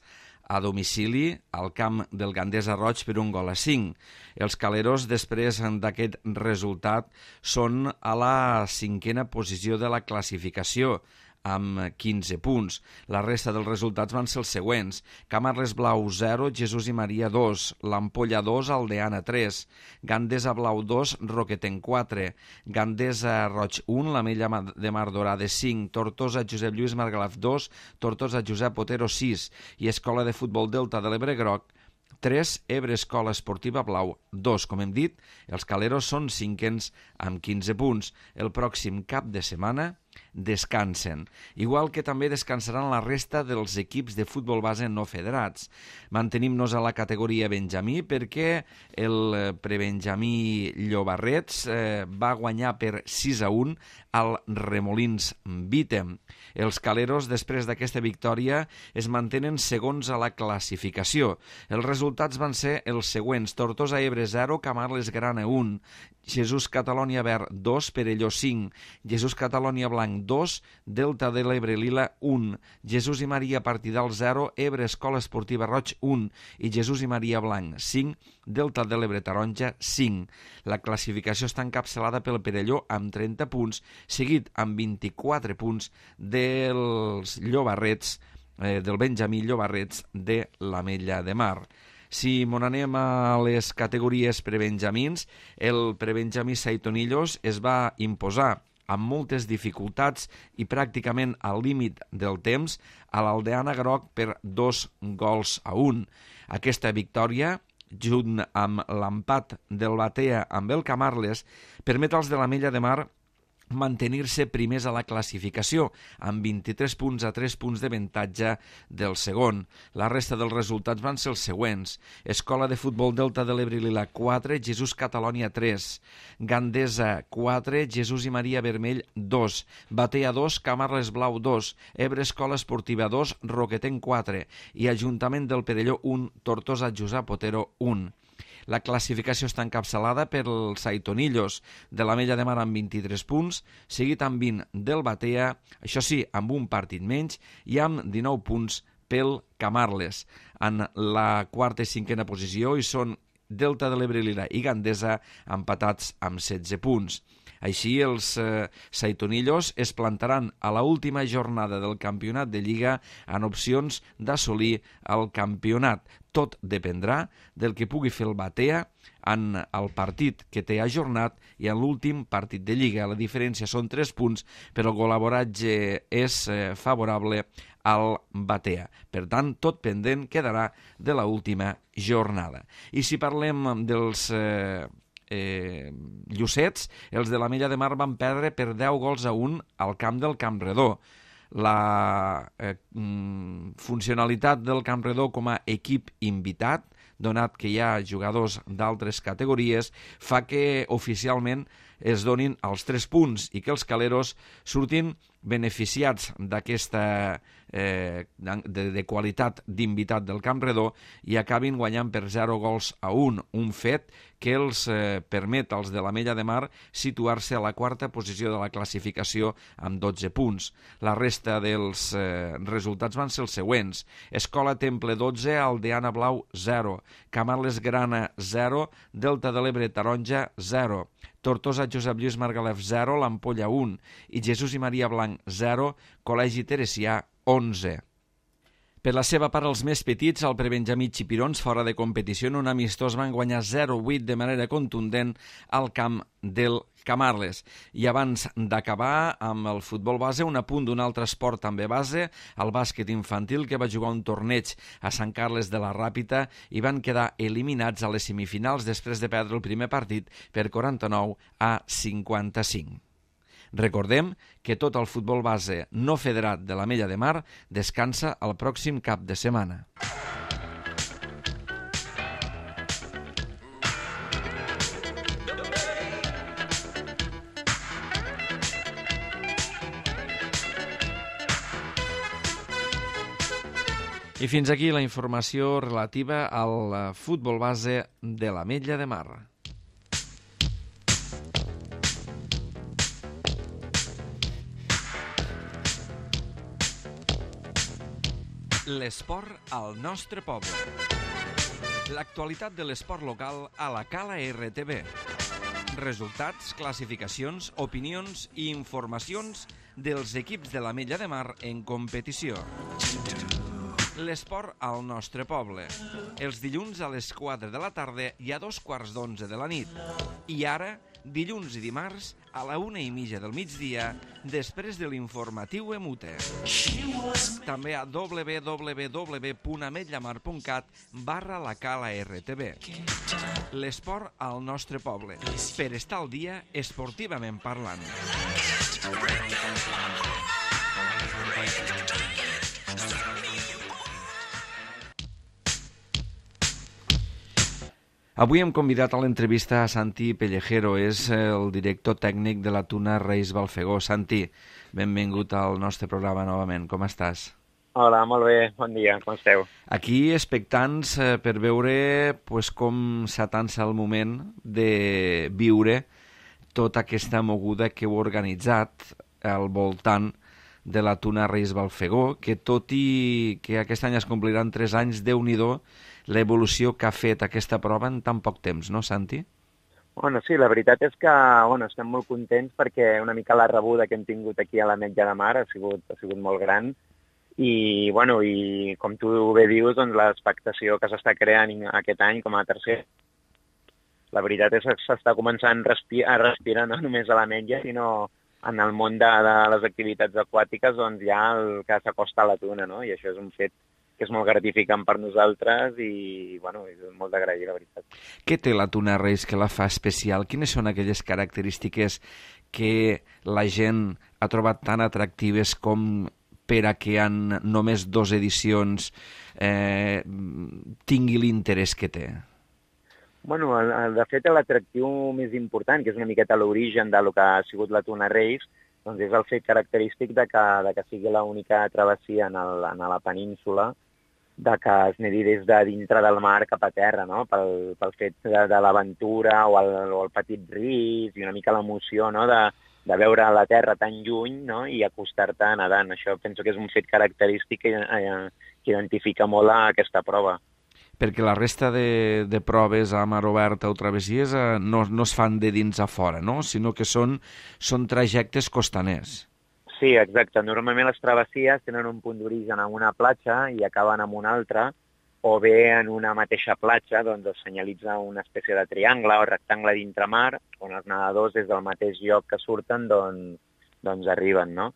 a domicili, al camp del Gandesa Roig per un gol a cinc. Els caleros, després d'aquest resultat, són a la cinquena posició de la classificació, amb quinze punts. La resta dels resultats van ser els següents: Camarles Blau zero, Jesús i Maria dos, l'Ampolla dos, Aldeana tres, Gandesa Blau dos, Roqueten quatre, Gandesa Roig un, l'Ametlla de Mar Dorada cinc, Tortosa Josep Lluís Margalaf dos, Tortosa Josep Otero sis i Escola de Futbol Delta de l'Ebre Groc tres, Ebre Escola Esportiva Blau dos. Com hem dit, els caleros són cinquens amb quinze punts. El pròxim cap de setmana descansen, igual que també descansaran la resta dels equips de futbol base no federats. Mantenim-nos a la categoria Benjamí perquè el prebenjamí Llobarrets eh, va guanyar per sis a un al Remolins Vítem. Els caleros, després d'aquesta victòria, es mantenen segons a la classificació. Els resultats van ser els següents: Tortosa Ebre zero, Camarles Grana un, Jesús Catalònia Verd dos, Perelló cinc, Jesús Catalònia Blanc dos, Delta de l'Ebre Lila un, Jesús i Maria Partidal zero, Ebre Escola Esportiva Roig un i Jesús i Maria Blanc cinc, Delta de l'Ebre Taronja cinc. La classificació està encapçalada pel Perelló amb trenta punts, seguit amb vint-i-quatre punts dels Llobarrets, eh, del Benjamí Llobarrets de l'Ametlla de Mar. Si mon anem a les categories prebenjamins, el prebenjamí Saitonillos es va imposar amb moltes dificultats i pràcticament al límit del temps a l'Aldeana Groc per dos gols a un. Aquesta victòria, junt amb l'empat del Batea amb el Camarles, permet als de l'Ametlla de Mar mantenir-se primers a la classificació, amb vint-i-tres punts a tres punts d'avantatge del segon. La resta dels resultats van ser els següents: Escola de Futbol Delta de l'Ebre Lila quatre, Jesús Catalònia tres, Gandesa quatre, Jesús i Maria Vermell dos, Batea dos, Camarles Blau dos, Ebre Escola Esportiva dos, Roquetenc quatre i Ajuntament del Perelló un, Tortosa Josep Otero un. La classificació està encapçalada pels Saitonillos de l'Ametlla de Mar amb vint-i-tres punts, seguit amb vint del Batea, això sí, amb un partit menys, i amb dinou punts pel Camarles. En la quarta i cinquena posició hi són Delta de l'Ebre Lila i Gandesa empatats amb setze punts. Així, els eh, Saitonillos es plantaran a la última jornada del campionat de Lliga en opcions d'assolir el campionat. Tot dependrà del que pugui fer el Batea en el partit que té ajornat i en l'últim partit de Lliga. La diferència són tres punts, però el golaboratge és eh, favorable al Batea. Per tant, tot pendent quedarà de l'última jornada. I si parlem dels Eh, Eh, Llucets, els de l'Ametlla de Mar van perdre per deu gols a un al camp del Campredó. La eh, funcionalitat del Campredó com a equip invitat, donat que hi ha jugadors d'altres categories, fa que oficialment es donin els tres punts i que els caleros surtin beneficiats d'aquesta eh, de, de qualitat d'invitat del Campredó i acabin guanyant per zero gols a un, un fet que els eh, permet als de l'Ametlla de Mar situar-se a la quarta posició de la classificació amb dotze punts. La resta dels eh, resultats van ser els següents: Escola Temple dotze, Aldeana Blau zero, Camarles Grana zero, Delta de l'Ebre Taronja zero, Tortosa Josep Lluís Margalef zero, l'Ampolla un i Jesús i Maria Blanc zero, Col·legi Teresià onze. Per la seva part, els més petits, el prebenjamí Xipirons, fora de competició en un amistós, van guanyar zero a vuit de manera contundent al camp del Camarles. I abans d'acabar amb el futbol base, un apunt d'un altre esport també base, el bàsquet infantil, que va jugar un torneig a Sant Carles de la Ràpita i van quedar eliminats a les semifinals després de perdre el primer partit per quaranta-nou a cinquanta-cinc. Recordem que tot el futbol base no federat de l'Ametlla de Mar descansa el pròxim cap de setmana. I fins aquí la informació relativa al futbol base de l'Ametlla de Mar. L'esport al nostre poble. L'actualitat de l'esport local a la Cala R T V. Resultats, classificacions, opinions i informacions dels equips de l'Ametlla de Mar en competició. L'esport al nostre poble. Els dilluns a les quatre de la tarda i a dos quarts d'onze de la nit. I ara, dilluns i dimarts, a la una i mitja del migdia, després de l'informatiu Emute. També a w w w punt ametllamar punt cat barra la Cala R T V. L'esport al nostre poble. Per estar al dia esportivament parlant. Avui hem convidat a l'entrevista a Santi Pellejero, és el director tècnic de la Tuna Reis Balfegó. Santi, benvingut al nostre programa novament. Com estàs? Hola, molt bé, bon dia, com esteu? Aquí expectants eh, per veure pues, com s'atansa el moment de viure tota aquesta moguda que heu organitzat al voltant de la Tuna Reis Balfegó, que tot i que aquest any es compliran tres anys, Déu-n'hi-do l'evolució que ha fet aquesta prova en tan poc temps, no, Santi? Bueno, sí, la veritat és que bueno, estem molt contents perquè una mica la rebuda que hem tingut aquí a l'Ametlla de Mar ha sigut, ha sigut molt gran i, bueno, i com tu bé dius, doncs, l'expectació que s'està creant aquest any com a tercer. La veritat és que s'està començant a respirar, a respirar no només a l'Ametlla, sinó en el món de, de les activitats aquàtiques, doncs hi ha el que s'acosta a la tuna, no? I això és un fet que és molt gratificant per nosaltres i, bueno, és molt d'agrair, la veritat. Què té la Tuna Reis que la fa especial? Quines són aquelles característiques que la gent ha trobat tan atractives com per a que en només dues edicions eh, tingui l'interès que té? Bueno, el, el, de fet, l'atractiu més important, que és una miqueta l'origen del que ha sigut la Tuna Reis, doncs és el fet característic de que, de que sigui l'única travessia en, el, en la península de que es nedi des de dintre del mar cap a terra, no? Pel, pel fet de, de l'aventura o, el, o el petit risc i una mica l'emoció, no? de, de veure la terra tan lluny, no? I acostar-te nedant. Això penso que és un fet característic que, eh, que identifica molt a aquesta prova. Perquè la resta de, de proves a mar oberta o travessies eh, no, no es fan de dins a fora, no? Sinó que són, són trajectes costaners. Sí, exacte. Normalment les travessies tenen un punt d'origen en una platja i acaben en una altra, o bé en una mateixa platja doncs es senyalitza una espècie de triangle o rectangle d'intramar, on els nedadors des del mateix lloc que surten doncs, doncs arriben, no?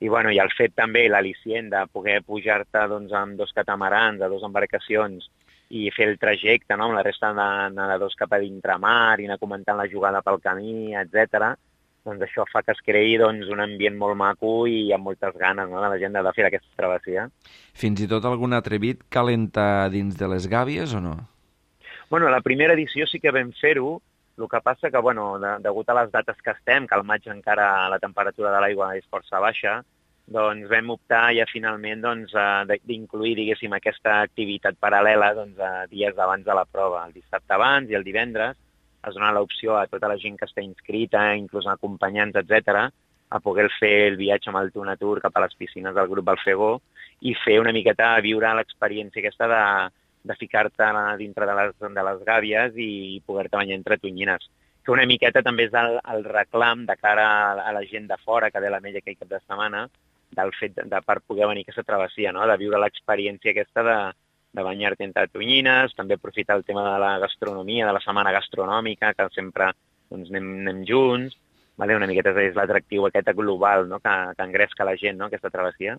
I, bueno, i el fet també, l'al·licient de poder pujar-te doncs, amb dos catamarans, a dues embarcacions, i fer el trajecte, no?, amb la resta de nedadors cap a d'intramar i anar comentant la jugada pel camí, etcètera, doncs això fa que es creï doncs, un ambient molt maco i amb moltes ganes, no?, de la gent de fer aquesta travessia. Fins i tot algun atrevit calenta dins de les gàbies o no? Bueno, la primera edició sí que vam fer-ho, el que passa que, bueno, de, degut a les dates que estem, que al maig encara la temperatura de l'aigua és força baixa, doncs vam optar ja finalment doncs, d'incluir, diguéssim, aquesta activitat paral·lela doncs, dies abans de la prova, el dissabte abans i el divendres. Es dona l'opció a tota la gent que està inscrita, inclús acompanyants, etcètera, a poder fer el viatge amb el Tuna Tour cap a les piscines del grup Balfegó i fer una miqueta viure l'experiència aquesta de, de ficar-te dintre de les, de les gàbies i poder-te banyar entre tonyines. Que una miqueta també és el, el reclam de cara a la gent de fora que ve a l'Ametlla aquell cap de setmana, del fet de, de per poder venir aquesta travessia, no?, de viure l'experiència aquesta de, de banyar-te entre tonyines, també aprofitar el tema de la gastronomia, de la setmana gastronòmica, que sempre doncs, anem, anem junts, vale? Una miqueta és l'atractiu aquest global, no?, que, que engresca la gent, no?, aquesta travessia.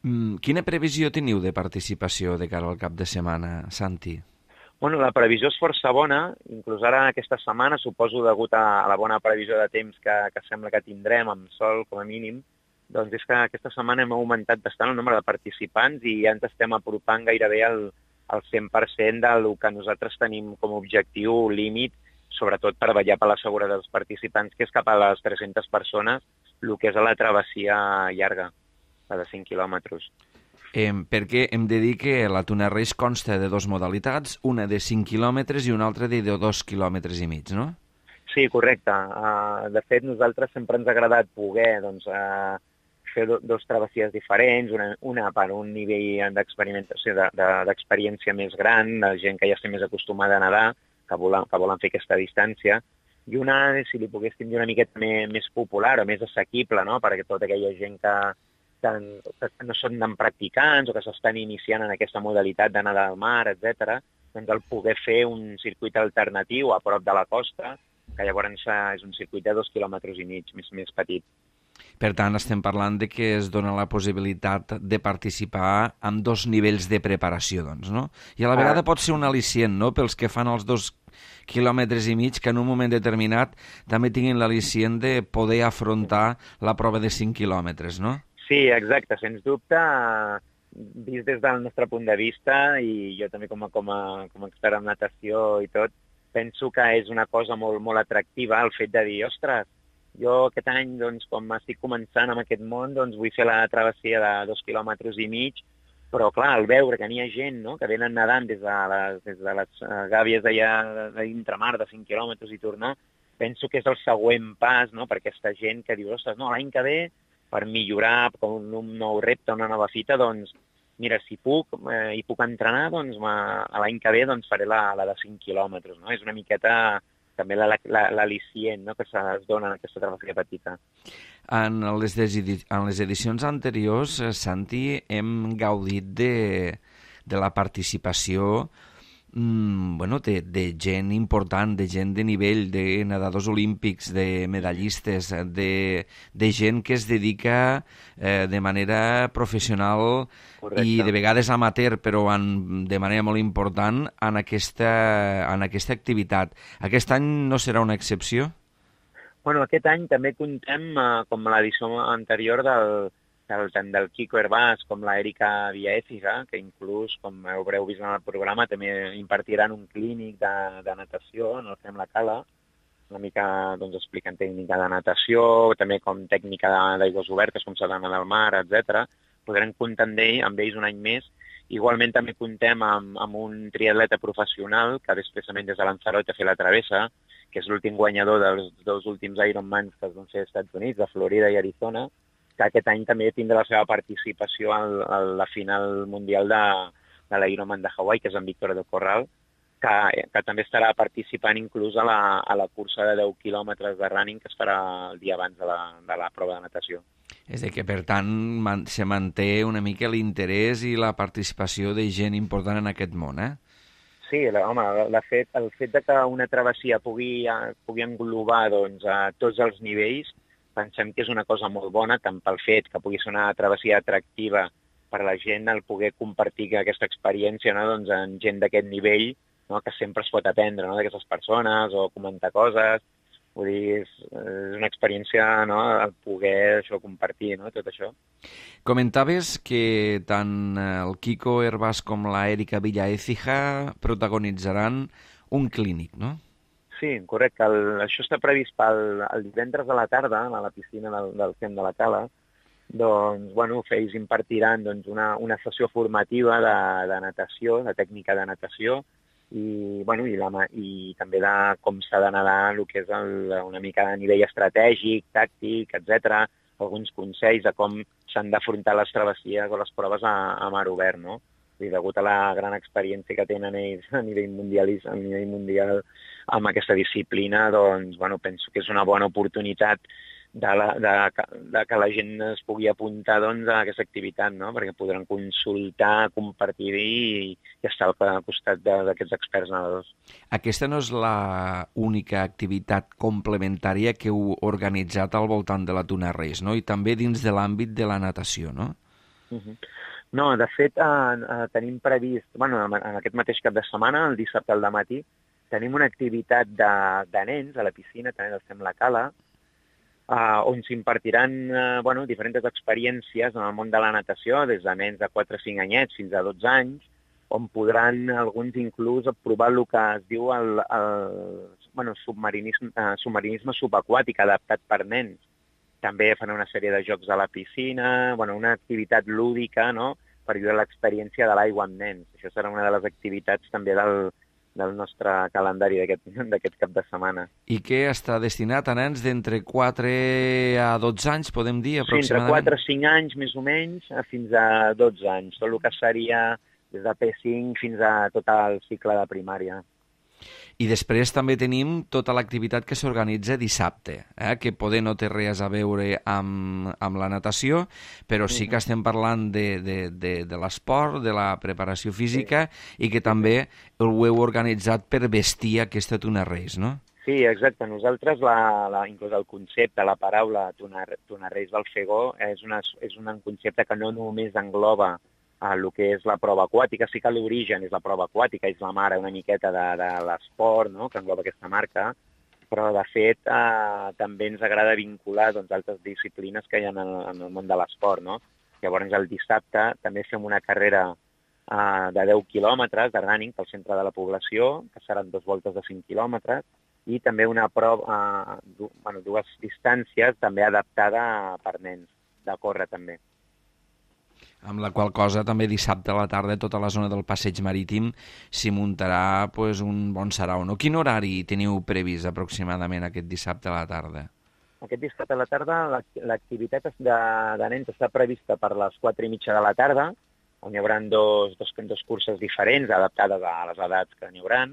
Mm, quina previsió teniu de participació de cara al cap de setmana, Santi? Bueno, la previsió és força bona, inclús ara aquesta setmana, suposo degut a la bona previsió de temps que, que sembla que tindrem, amb sol com a mínim, doncs és que aquesta setmana hem augmentat bastant el nombre de participants i ja ens estem apropant gairebé al, al cent per cent del que nosaltres tenim com a objectiu límit, sobretot per vetllar per la seguretat dels participants, que és cap a les tres-centes persones, el que és a la travessia llarga, la de cinc quilòmetres. Eh, perquè hem de dir que la Tuna Reis consta de dues modalitats, una de cinc quilòmetres i una altra de dos quilòmetres i mig, no? Sí, correcte. Uh, de fet, nosaltres sempre ens ha agradat poder doncs, uh, fer do, dos travessies diferents, una, una per un nivell d'experimentació, de, de, d'experiència més gran, de gent que ja està més acostumada a nedar, que volen, que volen fer aquesta distància, i una, si li poguéssim dir, una miqueta més, més popular o més assequible, no?, perquè tota aquella gent que, que, que no són tan practicants o que s'estan iniciant en aquesta modalitat de nedar al mar, etcètera, doncs el poder fer un circuit alternatiu a prop de la costa, que llavors és un circuit de dos quilòmetres i mig, més, més petit. Per tant, estem parlant de que es dona la possibilitat de participar amb dos nivells de preparació, doncs, no? I a la vegada pot ser un al·licient, no?, pels que fan els dos quilòmetres i mig, que en un moment determinat també tinguin l'al·licient de poder afrontar la prova de cinc quilòmetres, no? Sí, exacte, sens dubte, vist des del nostre punt de vista, i jo també com a, com a, com a expert en natació i tot, penso que és una cosa molt, molt atractiva el fet de dir, ostres, jo aquest any, doncs, com estic començant amb aquest món, doncs vull fer la travessia de dos quilòmetres i mig, però clar, al veure que n'hi ha gent, no?, que venen nedant des de les, des de les gàbies d'allà de d'intramar de cinc quilòmetres i tornar, penso que és el següent pas, no?, per aquesta gent que diu, ostres, no, l'any que ve, per millorar, com un nou repte, una nova fita, doncs, mira, si puc eh, i puc entrenar, doncs l'any que ve doncs, faré la, la de cinc quilòmetres, no? És una miqueta també l'al·licient, no?, que es dona en aquesta travessia petita. En les, en les edicions anteriors, Santi, hem gaudit de, de la participació mm, bueno, de, de gent important, de gent de nivell, de nedadors olímpics, de medallistes, de, de gent que es dedica eh, de manera professional. Correcte. I de vegades amateur, però en, de manera molt important en aquesta, en aquesta activitat. Aquest any no serà una excepció? Bueno, aquest any també contem, eh, com l'edició anterior, del, del, tant del Quico Hervás com l'Erika Villaécija, que inclús, com haureu vist en el programa, també impartiran un clínic de, de natació en el Fem la Cala, una mica doncs, explicant tècnica de natació, també com tècnica d'aigües obertes, com s'ha d'anar al mar, etcètera. Podrem comptar amb, ell, amb ells un any més. Igualment també contem amb, amb un triatleta professional que ve expressament des de Lanzarote a fer la travessa, que és l'últim guanyador dels dos últims Ironmans que es van fer als Estats Units, a Florida i Arizona, que aquest any també tindrà la seva participació a la final mundial de, de l'Ironman de Hawaii, que és en Víctor del Corral, que, que també estarà participant inclús a la, a la cursa de deu quilòmetres de running que es farà el dia abans de la, de la prova de natació. És a dir, que per tant man, se manté una mica l'interès i la participació de gent important en aquest món, eh? Sí, la, home, la fet, el fet de que una travessia pugui, pugui englobar doncs, a tots els nivells, pensem que és una cosa molt bona, tant pel fet que pugui ser una travessia atractiva per la gent, el poder compartir aquesta experiència, no?, doncs, en gent d'aquest nivell, no?, que sempre es pot aprendre, no?, d'aquestes persones o comentar coses. Vull dir, és, és una experiència, no?, el poder això, compartir, no?, tot això. Comentaves que tant el Quico Hervás com la Erika Villaécija protagonitzaran un clínic, no? Sí, correcte. El, això està previst pel el divendres a la tarda a la piscina del, del Fem de la Cala. Doncs, bueno, ells impartiran doncs, una, una sessió formativa de, de natació, de tècnica de natació, i, bueno, i, la, i també de com s'ha de nedar, el que és el, una mica a nivell estratègic, tàctic, etcètera, alguns consells de com s'han d'afrontar les travessies o les proves a, a mar obert, no? I degut a la gran experiència que tenen ells a nivell mundial, a nivell mundial amb aquesta disciplina, doncs, bueno, penso que és una bona oportunitat de, la, de, de que la gent es pugui apuntar doncs, a aquesta activitat, no? Perquè podran consultar, compartir i, i estar al costat d'aquests experts nedadors. Aquesta no és l'única activitat complementària que heu organitzat al voltant de la Tuna Reis, no? I també dins de l'àmbit de la natació, no? Uh-huh. No, de fet, eh, eh, tenim previst, bueno, en aquest mateix cap de setmana, el dissabte al dematí, tenim una activitat de, de nens a la piscina, també del Fem la Cala, Uh, on s'impartiran uh, bueno, diferents experiències en el món de la natació, des de nens de quatre o cinc anyets fins a dotze anys, on podran alguns inclús provar el que es diu el, el bueno, submarinisme, uh, submarinisme subaquàtic adaptat per nens. També fan una sèrie de jocs a la piscina, bueno, una activitat lúdica, no?, per viure l'experiència de l'aigua amb nens. Això serà una de les activitats també del, del nostre calendari d'aquest cap de setmana. I què està destinat a nens d'entre quatre a dotze anys, podem dir, aproximadament? Sí, entre quatre a cinc anys, més o menys, fins a dotze anys. Tot el que seria des de P cinc fins a tot el cicle de primària. I després també tenim tota l'activitat que s'organitza dissabte, eh? Que poder no té res a veure amb, amb la natació, però sí que estem parlant de, de, de, de l'esport, de la preparació física, sí. I que també ho heu organitzat per vestir aquesta Tuna Reis, no? Sí, exacte. Nosaltres, la, la, inclús el concepte, la paraula Tuna, Tuna Reis del Fegó, és, una, és un concepte que no només engloba el que és la prova aquàtica. Sí que l'origen és la prova aquàtica, és la mare una miqueta de, de l'esport, no?, que engloba aquesta marca, però de fet eh, també ens agrada vincular doncs, altres disciplines que hi ha en el, en el món de l'esport, no? Llavors el dissabte també fem una carrera uh, de deu quilòmetres de running pel centre de la població, que seran dues voltes de cinc quilòmetres, i també una prova, uh, du, bueno, dues distàncies també adaptada per nens, de córrer també. Amb la qual cosa també dissabte a la tarda tota la zona del passeig marítim s'hi muntarà pues, un bon sarau. No? Quin horari teniu previst aproximadament aquest dissabte a la tarda? Aquest dissabte a la tarda l'activitat de, de nens està prevista per les quatre i mitja de la tarda, on hi haurà dos, dos, dos curses diferents adaptades a les edats que n'hi haurà,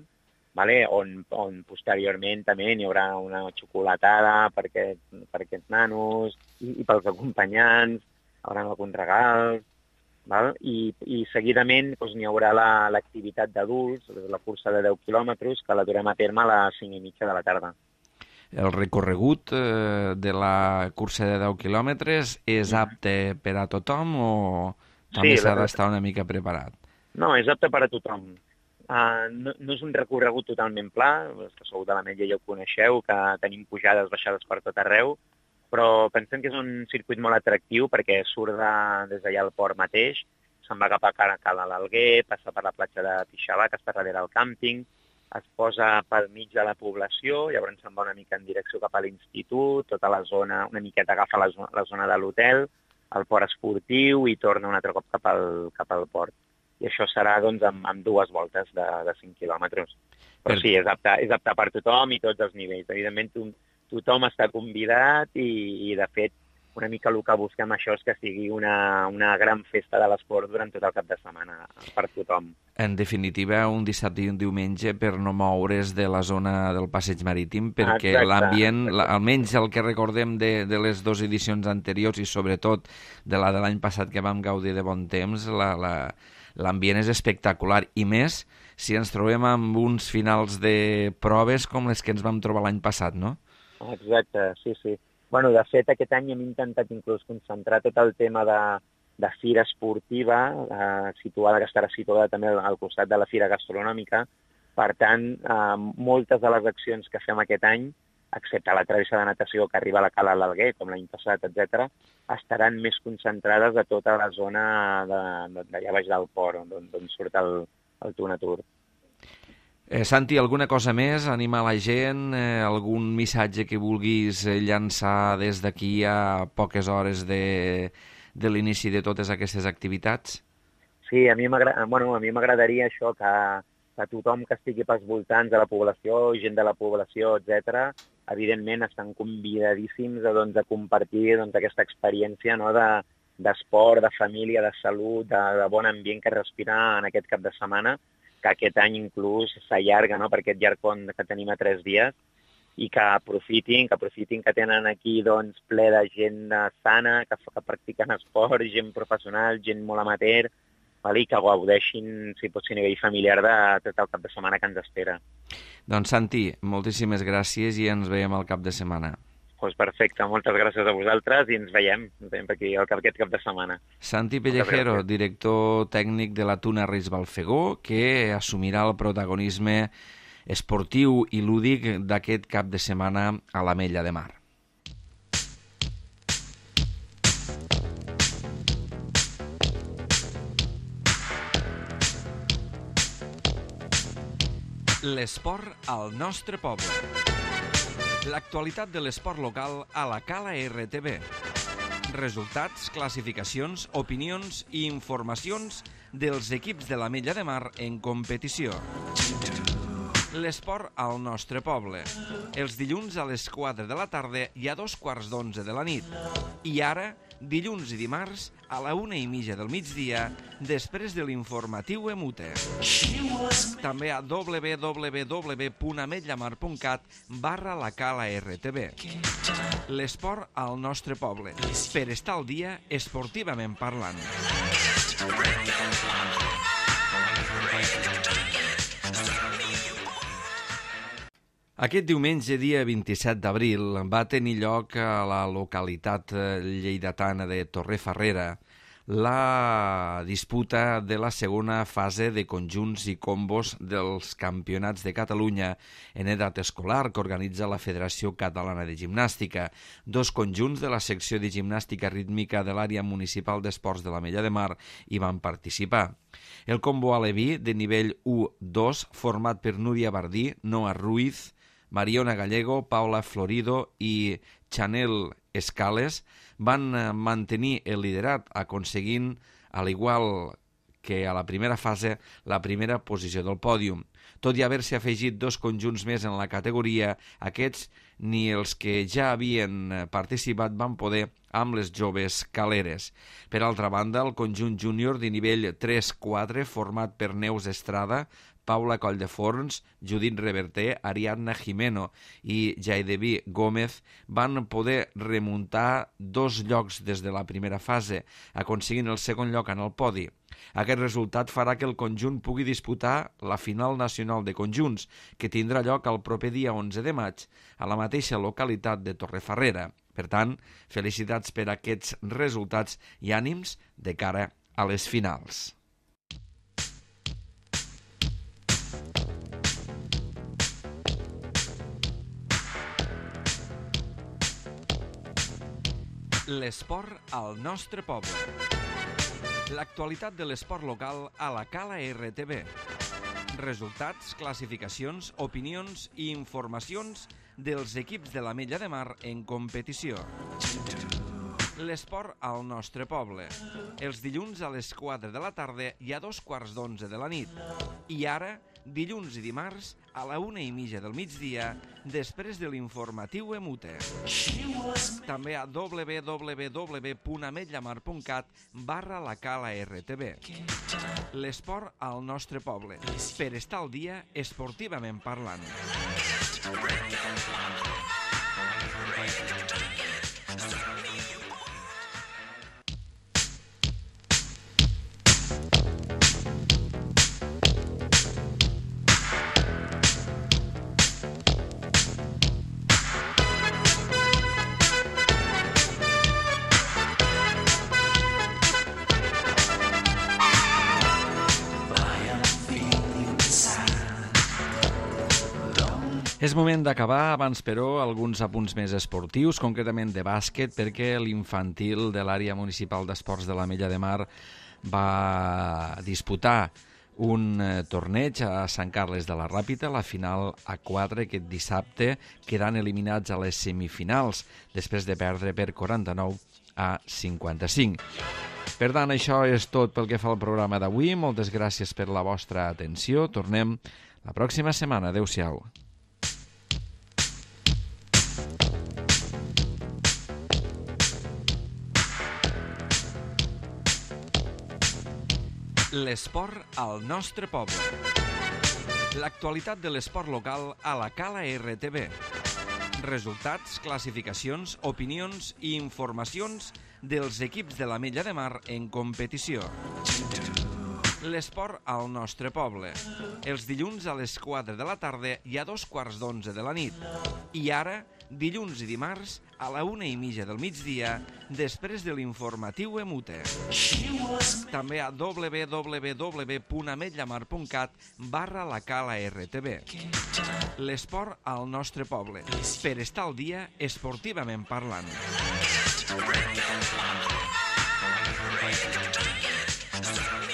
vale? on, on posteriorment també n'hi haurà una xocolatada per, aquest, per aquests nanos i, i pels acompanyants, hi haurà alguns regals, val? I, i seguidament doncs, n'hi haurà l'activitat la, d'adults, la cursa de deu quilòmetres, que la durem a terme a les cinc i mitja de la tarda. El recorregut eh, de la cursa de deu quilòmetres és apte per a tothom o també sí, s'ha la... d'estar una mica preparat? No, és apte per a tothom. Uh, no, no és un recorregut totalment pla, els que sou de l'Ametlla ja ho coneixeu, que tenim pujades, baixades per tot arreu, però pensem que és un circuit molt atractiu perquè surt de, des d'allà al port mateix, se'n va cap a Cala l'Alguer, passa per la platja de Pixabà, que està darrere del càmping, es posa pel mig de la població, llavors se'n va una mica en direcció cap a l'institut, tota la zona, una miqueta agafa la zona, la zona de l'hotel, el port esportiu i torna un altre cop cap al, cap al port. I això serà doncs, amb, amb dues voltes de, de cinc quilòmetres. Però sí, és apte, és apte per tothom i tots els nivells. Evidentment, to, tothom està convidat i, i, de fet, una mica el que busquem això és que sigui una, una gran festa de l'esport durant tot el cap de setmana per tothom. En definitiva, un dissabte i un diumenge per no moure's de la zona del passeig marítim, perquè l'ambient, almenys el que recordem de, de les dues edicions anteriors i sobretot de la de l'any passat que vam gaudir de bon temps, la, la, l'ambient és espectacular i més si ens trobem amb uns finals de proves com les que ens vam trobar l'any passat, no? Exacte, sí, sí. Bueno, de fet, aquest any hem intentat inclús concentrar tot el tema de, de fira esportiva, eh, situada, que estarà situada també al, al costat de la fira gastronòmica. Per tant, eh, moltes de les accions que fem aquest any, excepte la travessa de natació que arriba a la Cala l'Alguer, com l'any passat, etcètera, estaran més concentrades a tota la zona d'allà baix del port, d'on surt el, el Tunatur. Eh, Santi, alguna cosa més? Animar la gent? Eh, algun missatge que vulguis llançar des d'aquí a poques hores de, de l'inici de totes aquestes activitats? Sí, a mi m'agradaria bueno, a mi m'agradaria això, que, que tothom que estigui pels voltants de la població, gent de la població, etcètera, evidentment estan convidadíssims a, doncs, a compartir doncs, aquesta experiència, no?, de, d'esport, de família, de salut, de, de bon ambient que respirar en aquest cap de setmana, que aquest any inclús s'allarga, no?, per aquest llarg pont que tenim a tres dies, i que aprofitin, que aprofitin que tenen aquí doncs, ple de gent sana, que, que practiquen esport, gent professional, gent molt amateur, val? I que gaudeixin, si pot ser a nivell familiar, de tot el cap de setmana que ens espera. Doncs Santi, moltíssimes gràcies i ens veiem al cap de setmana. Doncs perfecte, moltes gràcies a vosaltres i ens veiem, ens veiem aquí aquest cap de setmana. Santi Pellejero, director tècnic de la Tuna Reis Balfegó, que assumirà el protagonisme esportiu i lúdic d'aquest cap de setmana a l'Ametlla de Mar. L'esport al nostre poble. L'actualitat de l'esport local a la Cala R T V. Resultats, classificacions, opinions i informacions dels equips de l'Ametlla de Mar en competició. L'esport al nostre poble. Els dilluns a les quatre de la tarda i a dos quarts d'onze de la nit. I ara, dilluns i dimarts, a la una i mitja del migdia, després de l'informatiu Emute. També a w w w punt ametllamar punt cat barra la Cala R T V. L'esport al nostre poble, per estar al dia esportivament parlant. Aquest diumenge, dia vint-i-set d'abril, va tenir lloc a la localitat lleidatana de Torrefarrera la disputa de la segona fase de conjunts i combos dels Campionats de Catalunya en edat escolar que organitza la Federació Catalana de Gimnàstica. Dos conjunts de la secció de gimnàstica rítmica de l'àrea municipal d'esports de l'Ametlla de Mar hi van participar. El combo aleví de nivell u dos, format per Núria Bardí, Noa Ruiz, Mariona Gallego, Paula Florido i Chanel Escales, van mantenir el liderat, aconseguint, al igual que a la primera fase, la primera posició del pòdium. Tot i haver-se afegit dos conjunts més en la categoria, aquests ni els que ja havien participat van poder amb les joves caleres. Per altra banda, el conjunt júnior de nivell tres quatre, format per Neus Estrada, Paula Colldeforns, Judit Reverter, Ariadna Jimeno i Jaidevi Gómez van poder remuntar dos llocs des de la primera fase, aconseguint el segon lloc en el podi. Aquest resultat farà que el conjunt pugui disputar la final nacional de conjunts, que tindrà lloc el proper dia onze de maig a la mateixa localitat de Torrefarrera. Per tant, felicitats per aquests resultats i ànims de cara a les finals. L'esport al nostre poble. L'actualitat de l'esport local a la Cala R T V. Resultats, classificacions, opinions i informacions dels equips de l'Ametlla de Mar en competició. L'esport al nostre poble. Els dilluns a les quatre de la tarda i a dos quarts d'onze de la nit. I ara, dilluns i dimarts, a la una i mitja del migdia, després de l'informatiu Emute. També a w w w punt ametllamar punt cat barra la Cala R T V. L'esport al nostre poble. Per estar al dia esportivament parlant. És moment d'acabar, abans però alguns apunts més esportius, concretament de bàsquet, perquè l'infantil de l'àrea municipal d'esports de l'Ametlla de Mar va disputar un torneig a Sant Carles de la Ràpita, la final a quatre aquest dissabte, quedant eliminats a les semifinals, després de perdre per quaranta-nou a cinquanta-cinc. Per tant, això és tot pel que fa al programa d'avui. Moltes gràcies per la vostra atenció. Tornem la pròxima setmana. Adéu-siau. L'esport al nostre poble. L'actualitat de l'esport local a la Cala R T V. Resultats, classificacions, opinions i informacions dels equips de l'Ametlla de Mar en competició. L'esport al nostre poble. Els dilluns a les quatre de la tarda i a dos quarts d'onze de la nit. I ara, dilluns i dimarts, a la una i mitja del migdia, després de l'informatiu Emute. També a w w w punt ametllamar punt cat barra la Cala R T V. L'esport al nostre poble. Per estar al dia esportivament parlant. Stop